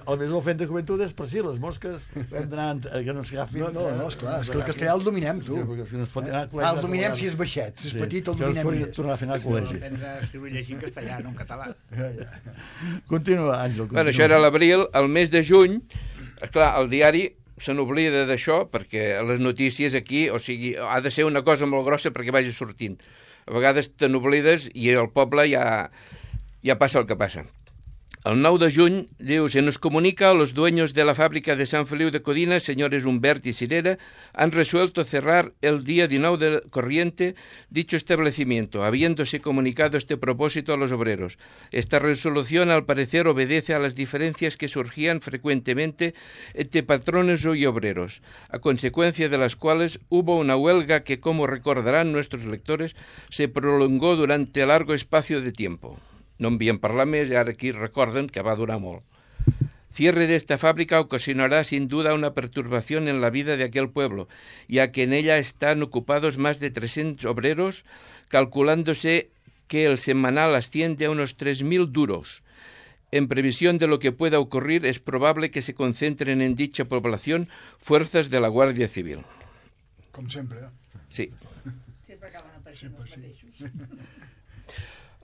el més ofent de joventut és per si les mosques hem d'anar que no ens agafin... No, esclar, és que el castellà el dominem, tu. El dominem si és baixet, si és petit el dominem més. Tornar a fer anar al col·legi. Tens a escriure i llegir en castellà, no en català. Continua, Àngel. Bueno, això era l'abril, el mes de juny, esclar, el diari se n'oblida d'això perquè les notícies aquí, o sigui, ha de ser una cosa molt grossa perquè vagi sortint. A vegades te n'oblides i el poble ja passa el que passa. El 9 de juny, diu, se nos comunica a los dueños de la fábrica de San Feliu de Codina, señores Humbert y Sirera, han resuelto cerrar el día 19 de corriente dicho establecimiento, habiéndose comunicado este propósito a los obreros. Esta resolución, al parecer, obedece a las diferencias que surgían frecuentemente entre patrones y obreros, a consecuencia de las cuales hubo una huelga que, como recordarán nuestros lectores, se prolongó durante largo espacio de tiempo. No envien parlar més i ara aquí recorden que va durar molt. Cierre de esta fábrica ocasionará sin duda una perturbación en la vida de aquel pueblo, ya que en ella están ocupados más de 300 obreros, calculándose que el semanal asciende a unos 3.000 duros. En previsión de lo que pueda ocurrir, es probable que se concentren en dicha población fuerzas de la Guàrdia Civil. Com sempre. Sí. Sempre acaben apareixent els mateixos.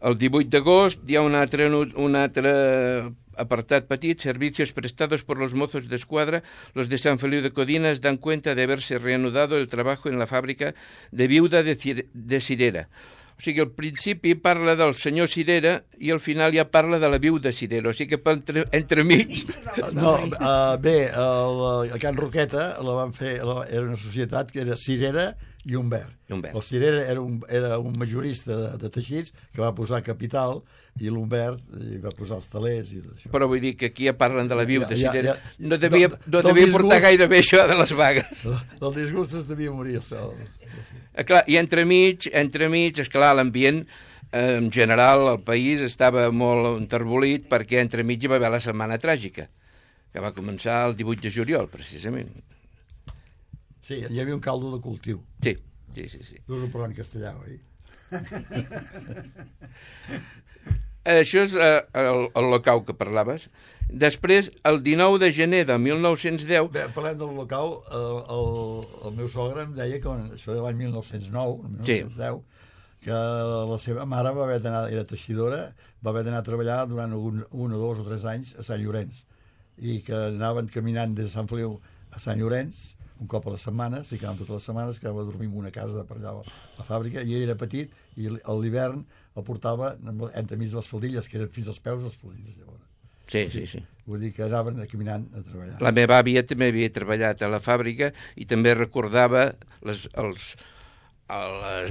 El 18 d'agost hi ha un altre apartat petit, servicios prestados por los mozos de escuadra, los de San Feliu de Codina dan cuenta de haberse reanudado el trabajo en la fàbrica de viuda de Cirera. O sigui, al principi parla del senyor Cirera i al final ja parla de la viuda Cirera, o sigui que entremig... No, bé, a Can Roqueta la van fer, era una societat que era Cirera i Humbert. El Cirera era un majorista de teixits que va posar capital i l'Humbert va posar els talers i tot això. Però vull dir que aquí ja parlen de la viuda Cirera. No devia portar gaire bé això de les vagues. Del disgust es devia morir el sol. Clar, i entremig, esclar, l'ambient en general al país estava molt enterbolit perquè entremig hi va haver la Setmana Tràgica, que va començar el 18 de juliol, precisament. Sí, hi havia un caldo de cultiu. Sí. No us ho parlant castellà, oi? Això és el locau que parlaves. Després, el 19 de gener de 1910... Bé, parlem del locau, el meu sogre em deia que això era l'any 1909, 1910, que la seva mare va haver d'anar, era teixidora, va haver d'anar a treballar durant 1 o 2 o 3 anys a Sant Llorenç, i que anaven caminant des de Sant Feliu a Sant Llorenç, un cop a la setmana, s'hi quedaven totes les setmanes, quedava a dormir en una casa de per allà a la fàbrica, i ell era petit, i a l'hivern el portava entremig de les faldilles, que eren fins als peus les faldilles, llavors. Sí. Vull dir que anaven caminant a treballar. La meva àvia també havia treballat a la fàbrica i també recordava les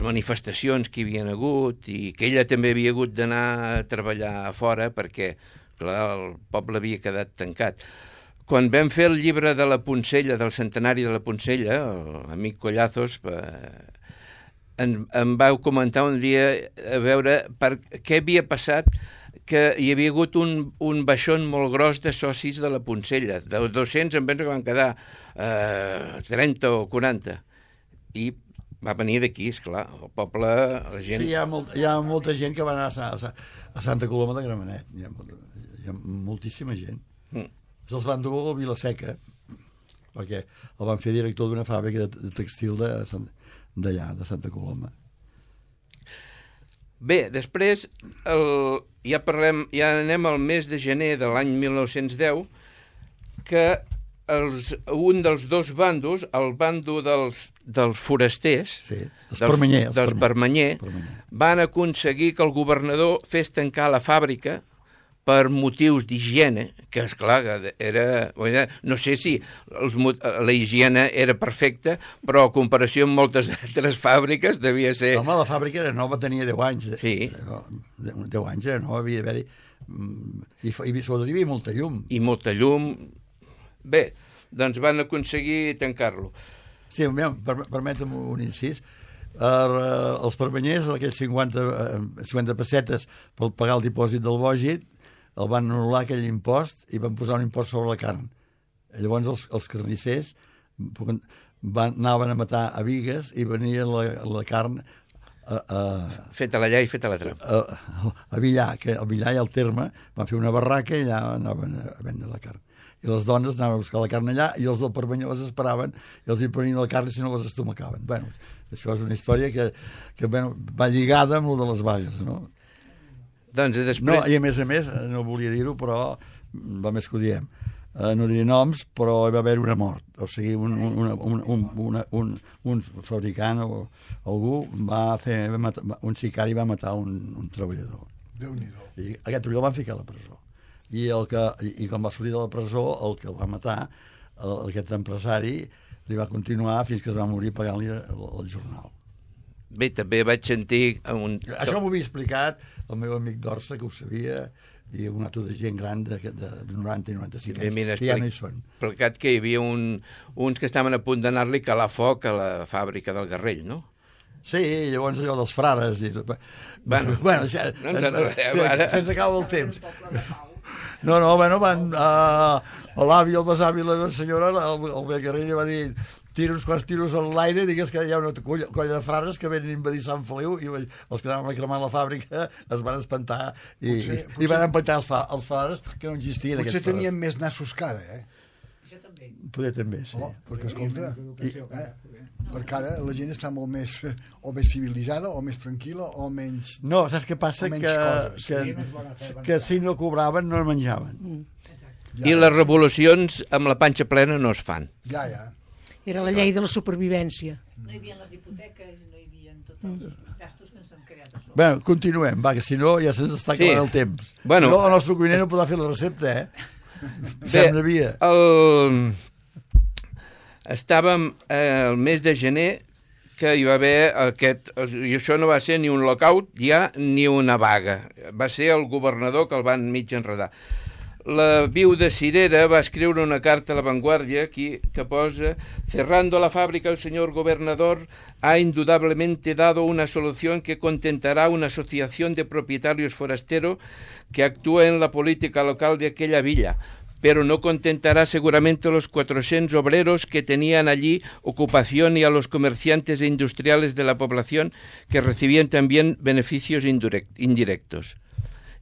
manifestacions que hi havia hagut i que ella també havia hagut d'anar a treballar a fora perquè, clar, el poble havia quedat tancat. Quan vam fer el llibre de la Poncella, del centenari de la Poncella, l'amic Collazos, em vau comentar un dia a veure què havia passat, que hi havia hagut un baixón molt gros de socis de la Poncella. De 200 em penso que van quedar 30 o 40. I va venir d'aquí, esclar, el poble, la gent... Sí, hi ha molta gent que va anar a Santa Coloma de Gramenet. Hi ha moltíssima gent. Se'ls van dur a Vilaseca, perquè el van fer director d'una fàbrica de textil d'allà, de Santa Coloma. Bé, després ja anem al mes de gener de l'any 1910, que un dels dos bandos, el bando dels forasters, dels Permanyer, van aconseguir que el governador fes tancar la fàbrica per motius d'higiene, que esclar, no sé si la higiene era perfecta, però a comparació amb moltes altres fàbriques devia ser... Home, la fàbrica era nova, tenia 10 anys. Sí. 10 anys era nova, havia d'haver-hi... I sobretot hi havia molta llum. I molta llum... Bé, doncs van aconseguir tancar-lo. Sí, permetem un incís. Els permanyers, aquells 50 pessetes per pagar el dipòsit del bògit, el van anul·lar aquell impost i van posar un impost sobre la carn. Llavors els carnissers anaven a matar a bigues i venia la carn feta allà i feta a la trama. A Villar, que al Villar i al Terme van fer una barraca i allà anaven a vendre la carn. I les dones anaven a buscar la carn allà i els del Permanyó les esperaven i els hi prenien la carn i si no les estomacaven. Bueno, això és una història que va lligada amb el de les vagues, no? Doncs després... No, i a més, no volia dir-ho, però va més que ho diem. No diré noms, però hi va haver una mort. O sigui, un fabricant o algú un sicari va matar un treballador. Déu-n'hi-do. I aquest treballador el van ficar a la presó. I quan va sortir de la presó, el que el va matar, aquest empresari, li va continuar fins que es va morir pagant-li el jornal. Bé, també vaig sentir... Això m'ho havia explicat el meu amic d'Orsa, que ho sabia, i un altre de gent gran de 90 i 95 anys, que ja no hi són. Explicat que hi havia uns que estaven a punt d'anar-li calar foc a la fàbrica del Garrell, no? Sí, llavors allò dels frares... Bueno, sense acabar el temps. Van... L'avi, el besavi, la senyora, el Garrell va dir... tira uns quants tiros a l'aire i digues que hi ha una colla de frares que venen a invadir Sant Feliu i els que anaven a cremar la fàbrica es van espantar i van empantar els frares que no existien. Potser tenien més nassos que ara, Això també. Poder també, sí. Perquè, escolta, perquè ara la gent està molt més o més civilitzada o més tranquil·la o menys... No, saps què passa? Que si no cobraven no menjaven. I les revolucions amb la panxa plena no es fan. Ja. Era la llei de la supervivència. No hi havia les hipoteques, no hi havia tots els gastos que ens han creat a sobre. Bé, continuem, va, que si no ja se'ns està acabant el temps. Bueno, si no, el nostre cuiner no podrà fer la recepta, Sembla via. Estàvem el mes de gener que hi va haver i això no va ser ni un lockout ja ni una vaga. Va ser el governador que el van mig enredar. La viuda Cirera va escriure una carta a La Vanguardia aquí que posa: cerrando la fábrica el señor gobernador ha indudablemente dado una solución que contentará una asociación de propietarios forasteros que actúa en la política local de aquella villa, pero no contentará seguramente a los 400 obreros que tenían allí ocupación y a los comerciantes e industriales de la población que recibían también beneficios indirectos.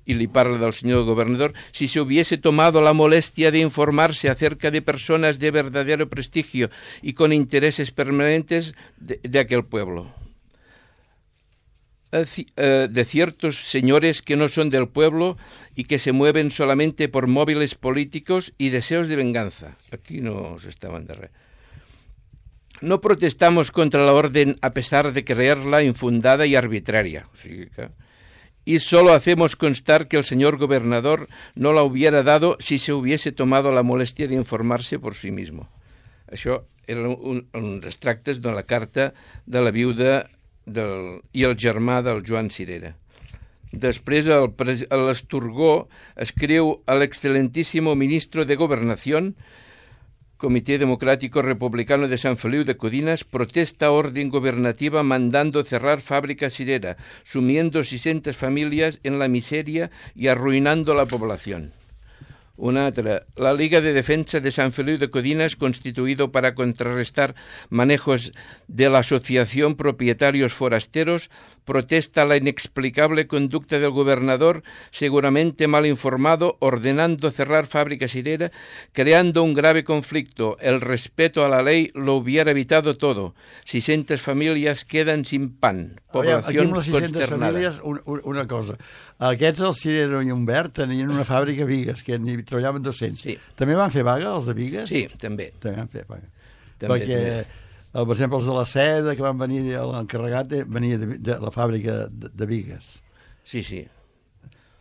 Y le parla del señor gobernador: si se hubiese tomado la molestia de informarse acerca de personas de verdadero prestigio y con intereses permanentes de aquel pueblo. De ciertos señores que no son del pueblo y que se mueven solamente por móviles políticos y deseos de venganza. Aquí no se estaban de res. No protestamos contra la orden a pesar de creerla infundada y arbitraria. O sigui que... Y solo hacemos constar que el señor gobernador no la hubiera dado si se hubiese tomado la molestia de informarse por sí mismo. Això eren uns extractes de la carta de la viuda i el germà del Joan Cirera. Després l'Esturgó escriu a l'excelentísimo ministro de Gobernación, Comité Democrático Republicano de San Feliu de Codinas, protesta orden gobernativa mandando cerrar fábrica Cirera, sumiendo 600 familias en la miseria y arruinando la población. Una altra, la Liga de Defensa de San Feliu de Codinas, constituido para contrarrestar manejos de la Asociación Propietarios Forasteros, protesta la inexplicable conducta del gobernador, seguramente mal informado, ordenando cerrar fábrica Cirera, creando un grave conflicto. El respeto a la ley lo hubiera evitado todo. 600 familias quedan sin pan. Población consternada. Aquí amb les 600 famílies, una cosa. Aquests, el Cirera i Humbert, tenien una fàbrica a Vigues, que n'hi treballaven 200. Sí. També van fer vaga, els de Vigues? Sí, també. També van fer vaga. També. Per exemple, els de la Seda, que van venir, l'encarregat venia de la fàbrica de Vigues. Sí, sí.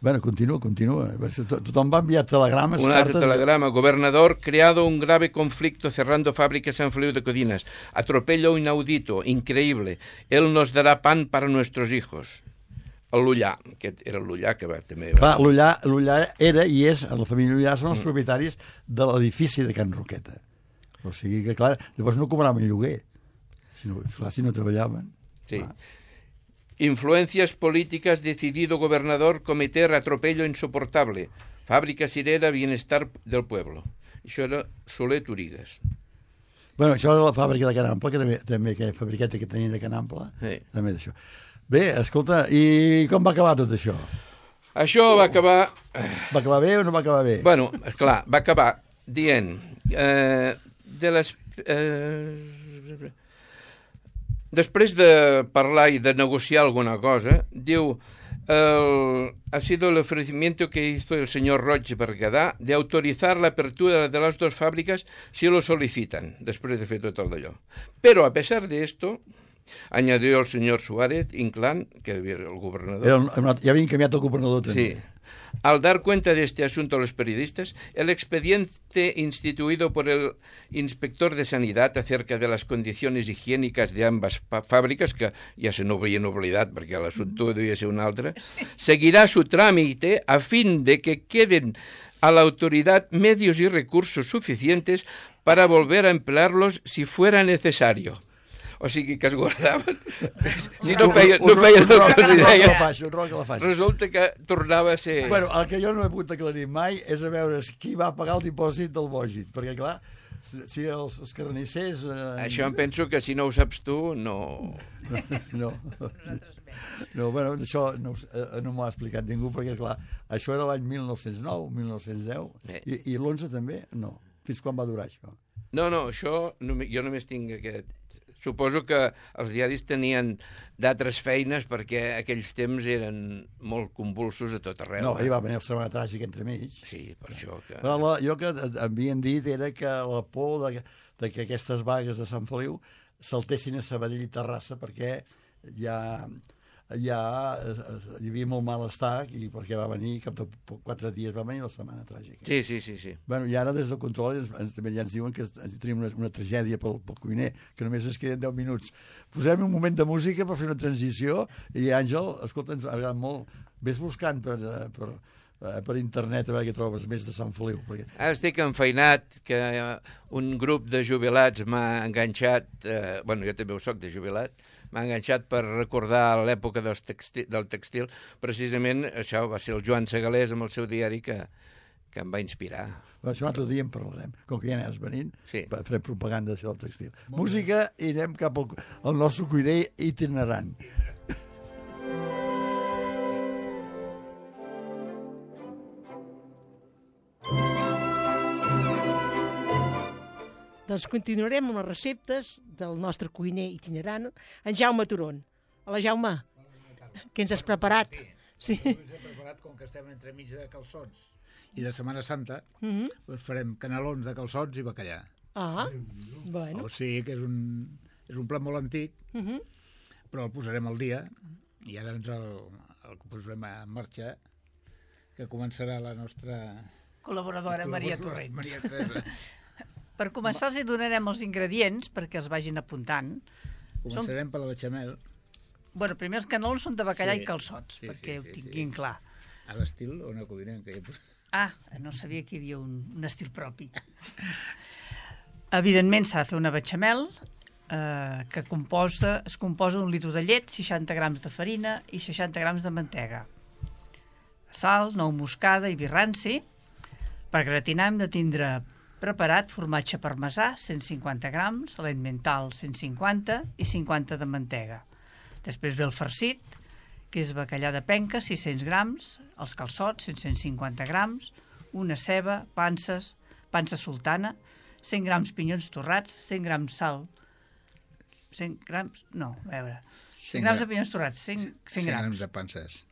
Bueno, continua. Tothom va enviar telegrames, un cartes... altre telegrama. Gobernador, creado un grave conflicto cerrando fábrica San Feliu de Codinas. Atropello inaudito, increíble. Él nos dará pan para nuestros hijos. El Lullà, aquest era el Lullà que també va... Clar, l'Ullà era i és, la família Ullà són els propietaris de l'edifici de Can Roqueta. O sigui que, clar, llavors no cobraven lloguer. Si no treballaven. Sí. Influencias políticas, decidido gobernador cometer atropello insoportable. Fábrica Cirera, bienestar del pueblo. Això era Soler Turigas. Bueno, això era la fàbrica de Can Ample, que també aquella fabriqueta que tenien de Can Ample, sí. També d'això. Bé, escolta, i com va acabar tot això? Això va acabar... Va acabar bé o no va acabar bé? Bueno, esclar, va acabar dient... Després de parlar y de negociar alguna cosa, diu, ha sido el ofrecimiento que hizo el señor Roig Berguedà de autorizar la apertura de las dos fábricas si lo solicitan, després de fer tot el d'allò. Pero a pesar de esto, añadió el señor Suárez Inclán, que era el gobernador. Ya habían cambiado el gobernador también. Sí. Al dar cuenta de este asunto a los periodistas, el expediente instituido por el inspector de Sanidad acerca de las condiciones higiénicas de ambas fábricas, que ja se n'havien oblidat perquè l'assumpte devia ser un altre, seguirá su trámite a fin de que queden a la autoridad medios y recursos suficientes para volver a emplearlos si fuera necesario. O sigui que es guardaven. Si no feien el que els deia, resulta que tornava a ser... Bueno, el que jo no he pogut aclarir mai és a veure qui va pagar el dipòsit del Bògit, perquè clar, si els carnissers... Això em penso que si no ho saps tu, no... No. No, bueno, això no m'ho ha explicat ningú, perquè, clar, això era l'any 1909, 1910, i l'11 també? No. Fins quan va durar això? No, això jo només tinc aquest... Suposo que els diaris tenien d'altres feines perquè aquells temps eren molt convulsos a tot arreu. No, hi va venir el Setmana Tràgica entremig. Sí, per això que... Però jo que havien dit era que la por de que aquestes vagues de Sant Feliu saltessin a Sabadell i Terrassa perquè hi havia molt malestar i perquè va venir, cap de 4 dies va venir la Setmana Tràgica. Sí. Bueno, i ara des del control també ja ens diuen que tenim una tragèdia pel cuiner, que només es queden 10 minuts. Posem un moment de música per fer una transició i Àngel, escolta, ens ha agradat molt. Ves buscant per internet a veure què trobes més de Sant Feliu. Perquè... Ara estic enfeinat que un grup de jubilats m'ha enganxat, jo també ho soc de jubilat, m'ha enganxat per recordar l'època del textil. Precisament això va ser el Joan Segalés amb el seu diari que em va inspirar. Això un altre dia en parlarem. Com que ja n'has venint, sí. Farem propaganda d'això del textil. Música i anem cap al nostre cuiner itinerant. Doncs continuarem amb les receptes del nostre cuiner itinerant, en Jaume Turon. Hola, Jaume. Què ens has preparat? Sí. Ens hem preparat, com que estem entremig de calçots i de Setmana Santa, doncs farem canelons de calçots i bacallà. Ah, bueno. O sigui que és un plat molt antic, però el posarem al dia i ara ens el posarem en marxa, que començarà la nostra... col·laboradora Maria Torrents. Maria Teresa. Per començar els hi donarem els ingredients perquè els vagin apuntant. Començarem per la bechamel. Bueno, primer els canelons són de bacallà i calçots, perquè ho tinguin clar. A l'estil o una codinenca. No sabia que hi havia un estil propi. Evidentment s'ha de fer una bechamel que es composa d'un litre de llet, 60 grams de farina i 60 grams de mantega. Sal, nou moscada i vi ranci. Per gratinar hem de tindre preparat formatge parmesà, 150 grams, l'emmental, 150 i 50 de mantega. Després ve el farcit, que és bacallà de penca, 600 grams, els calçots, 150 grams, una ceba, pansa sultana, 100 grams pinyons torrats, 100 grams sal, 100 grams... No, a veure... 100 grams de pinyons torrats, 100 grams. 100 grams de panses.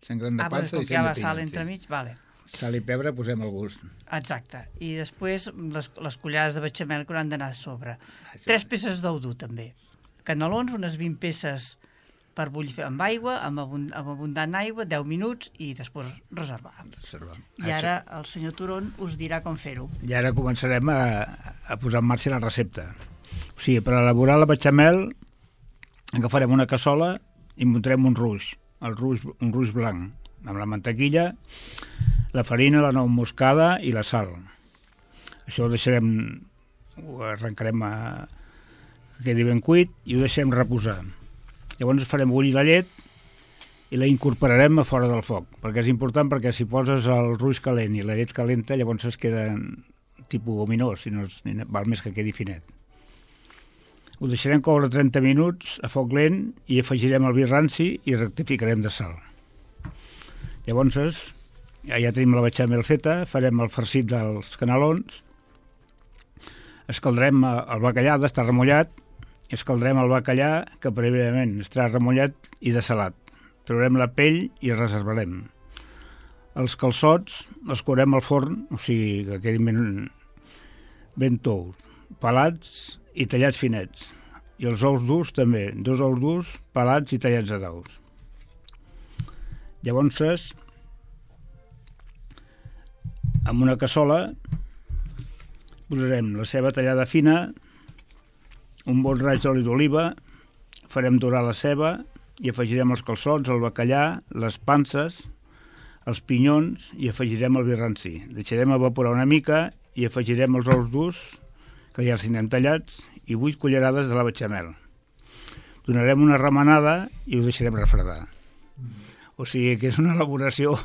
100 grams de panses i 100 de pinyons. Com que hi ha la sal entremig, vale. Sal i pebre posem al gust. Exacte. I després les cullerades de bechamel que hauran d'anar a sobre. 3 peces d'ou dur, també. Canelons, unes 20 peces per bullir amb aigua, amb abundant aigua, 10 minuts i després reservar. I ara el senyor Turon us dirà com fer-ho. I ara començarem a posar en marxa la recepta. O sigui, per elaborar la bechamel agafarem una cassola i muntarem un ruix, un ruix blanc, amb la mantequilla, la farina, la nou moscada i la sal. Això ho arrencarem que quedi ben cuit i ho deixem reposar. Llavors farem bullir la llet i la incorporarem a fora del foc, perquè és important, perquè si poses el ruix calent i la llet calenta, llavors es queda tipus gominós, si no val més que quedi finet. Ho deixarem coure 30 minuts a foc lent i afegirem el vi ranci i rectificarem de sal. Llavors ja tenim la bechamel feta, farem el farcit dels canelons, escaldarem el bacallà, d'estar remullat, escaldarem el bacallà que prèviament estarà remullat i dessalat. Traurem la pell i reservarem. Els calçots els courem al forn, o sigui que quedin ben tous, pelats i tallats finets. I els ous durs també, 2 ous durs pelats i tallats a daus. Llavors, amb una cassola posarem la ceba tallada fina, un bon raig d'oli d'oliva, farem dorar la ceba i afegirem els calçots, el bacallà, les panses, els pinyons i afegirem el vi ranci. Deixarem evaporar una mica i afegirem els ous durs, que ja els tindrem tallats, i 8 cullerades de la bechamel. Donarem una remenada i ho deixarem refredar. O sigui que és una elaboració,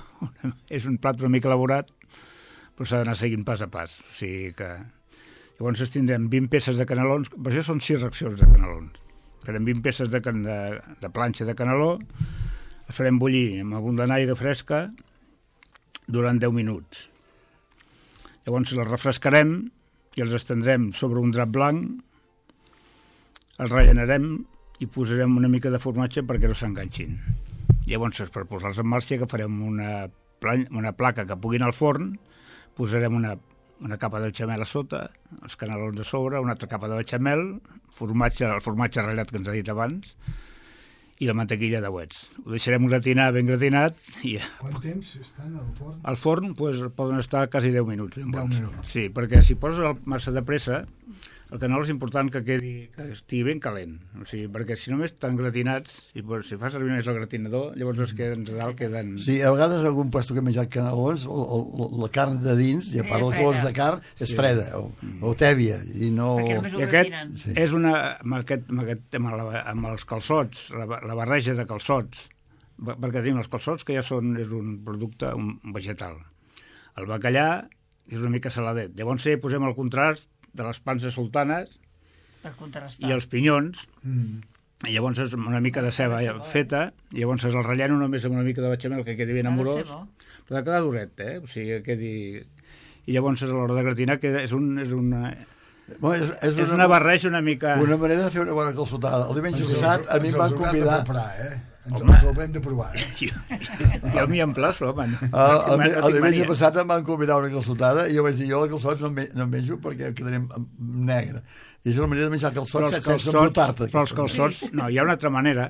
és un plat una mica elaborat, però s'ha d'anar seguint pas a pas. O sigui que... Llavors tindrem 20 peces de canelons, per això són 6 racions de canelons. Farem 20 peces de planxa de caneló, el farem bullir amb abundant aigua fresca durant 10 minuts. Llavors els refrescarem i els estendrem sobre un drap blanc, els rellenarem i posarem una mica de formatge perquè no s'enganxin. Llavors, per posar-los en marxa, agafarem una placa que pugui anar al forn, posarem una capa de bechamel a sota, els canelons a sobre, una altra capa de bechamel, el formatge ratllat que ens ha dit abans, i la mantequilla de Wets. Ho deixarem gratinar ben gratinat. I Quant temps estan al forn? al forn poden estar quasi 10 minuts. 10 minuts. Sí, perquè si poses massa de pressa, el caneló és important que estigui ben calent. O sigui, perquè si només estan gratinats, si fa servir més el gratinador, llavors els que de dalt queden... Sí, a vegades algun puesto que he menjat canelons, la carn de dins, ja parlo de colors de carn, és freda o tèbia, i no... Perquè només ho I gratinen. aquest és amb aquest tema, amb els calçots, la barreja de calçots, perquè tenim els calçots que ja és un producte vegetal. El bacallà és una mica saladet. Llavors posem el contrast de les panses sultanes Per contrastar. i els pinyons, i llavors és una mica de ceba feta, i llavors el relleno només amb una mica de bechamel que quedi ben amorós, però ha de quedar duret, o sigui, que quedi... I llavors a l'hora de gratinar és una barreja una mica... Una manera de fer una bona calçotada. El diumenge passat a mi em van convidar... Ens els haurem de provar, Jo m'hi emplaço, home. El diumenge passat em van convidar a una calçotada i jo vaig dir, jo els calçots no em menjo perquè quedarem negre. I és una manera de menjar calçots sense embrutar-te. Però els calçots... No, hi ha una altra manera,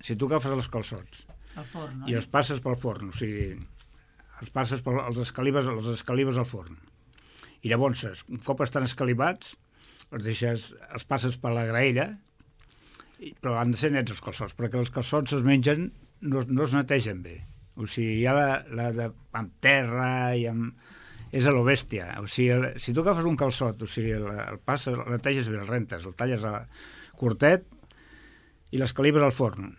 Si tu agafes els calçots i els passes pel forn, o sigui, els passes els escalives al forn. I llavors, un cop estan escalivats, els passes per la graella, però han de ser nets els calçots, perquè els calçots es mengen, no es netegen bé. O sigui, hi ha amb terra i amb... És a lo bèstia. O sigui, si tu agafes un calçot, o sigui, el passes, el neteges bé, el rentes, el talles curtet i l'escalives al forn,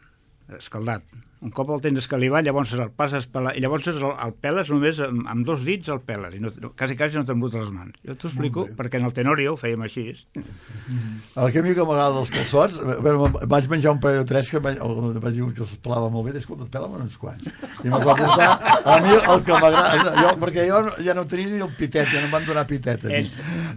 escaldat. Un cop el tens escalivat, llavors el passes per i llavors el peles només amb 2 dits el peles, i quasi no t'embruta les mans. Jo t'ho explico perquè en el Tenorio ho fèiem així. El que a mi que m'agrada dels calçots, vaig menjar un parell o 3 que vaig dir que els pelava molt bé, escolta, pela'm uns quants. I me'ls va portar a mi el que m'agrada, perquè jo ja no tenia ni el pitet, ja no em van donar pitet a mi.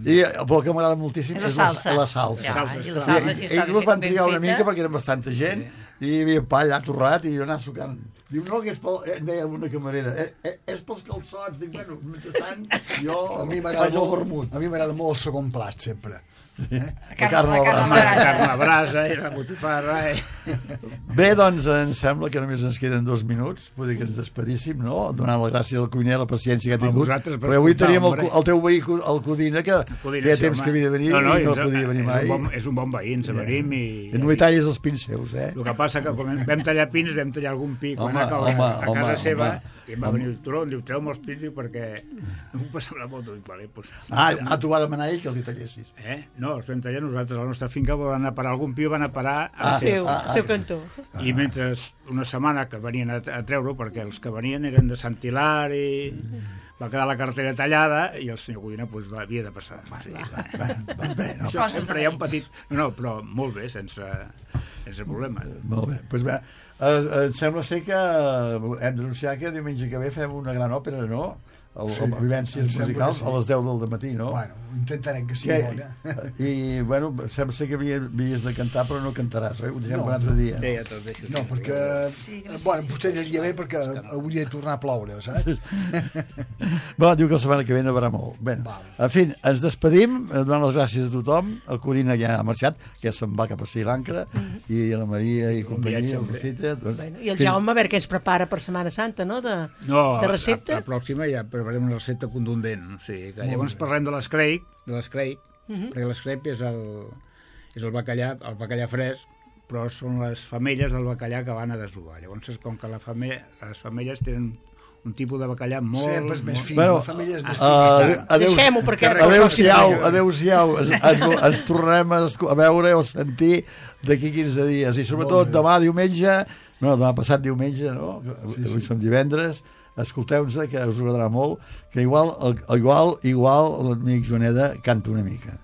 Però el que m'agrada moltíssim és la salsa. I la salsa, si està ells van trigar una mica perquè eren bastanta gent, i hi havia pa allà torrat i jo anava sucant. Diu, no, que és em deia una camarera, és pels calçots. Dic, bueno, mentrestant, jo faig el vermut. A mi m'agrada molt el segon plat, sempre. La carn a brasa i la botifarra. Bé, doncs, em sembla que només ens queden 2 minuts, vull dir que ens despedíssim, no? Donant la gràcia al cuiner, la paciència que ha tingut. Però avui teníem el teu veí, el Codina, que feia temps que havia de venir i no podia venir mai. És un bon veí, ens venim i... No hi tallis els pins seus, El que passa que quan vam tallar pins, vam tallar algun pi quan a casa seva, i em va venir el turó, em diu, treu-me els pins, perquè no m'ho passava la moto. Tu va demanar ell que els hi tallessis. No, els vam tallar nosaltres a la nostra finca, van a parar algun pi, van a parar al seu cantó. I mentre una setmana que venien a treure-ho, perquè els que venien eren de Sant Hilari, va quedar la cartera tallada i el senyor Codina havia de passar. Sempre hi ha un petit... No, però molt bé, sense problema. Molt bé, doncs bé, em sembla ser que hem d'anunciar que diumenge que ve fem una gran òpera, no? Vivències musicals a les 10 del matí, no? Bueno, intentarem que sigui bona. I, bueno, sembla ser que havies de cantar, però no cantaràs, oi? Ho deixem per un altre dia. No, perquè... Bueno, potser aniria bé perquè hauria de tornar a ploure, saps? Bueno, diu que la setmana que ve nevarà molt. Bé, en fi, ens despedim, donant les gràcies a tothom. El Codina ja ha marxat, que se'n va cap a Sri Lanka, i la Maria i companyia, el Rosita... I el Jaume, a veure què ens prepara per Setmana Santa, no? De recepta? La pròxima ja preparem una recepta contundent. O sigui, que llavors parlem de l'escrape, perquè l'escrape és el bacallà fresc, però són les femelles del bacallà que van a desovar. Llavors, com que les femelles tenen un tipus de bacallà molt... Sempre és més fi, la família és més fi. Deixem-ho, perquè... Adéu-siau. Ens tornarem a veure o sentir d'aquí 15 dies. I sobretot demà diumenge, no, demà passat diumenge, no? Avui som divendres, escolteu-nos, que us agradarà molt, que igual l'amic Joaneda canta una mica.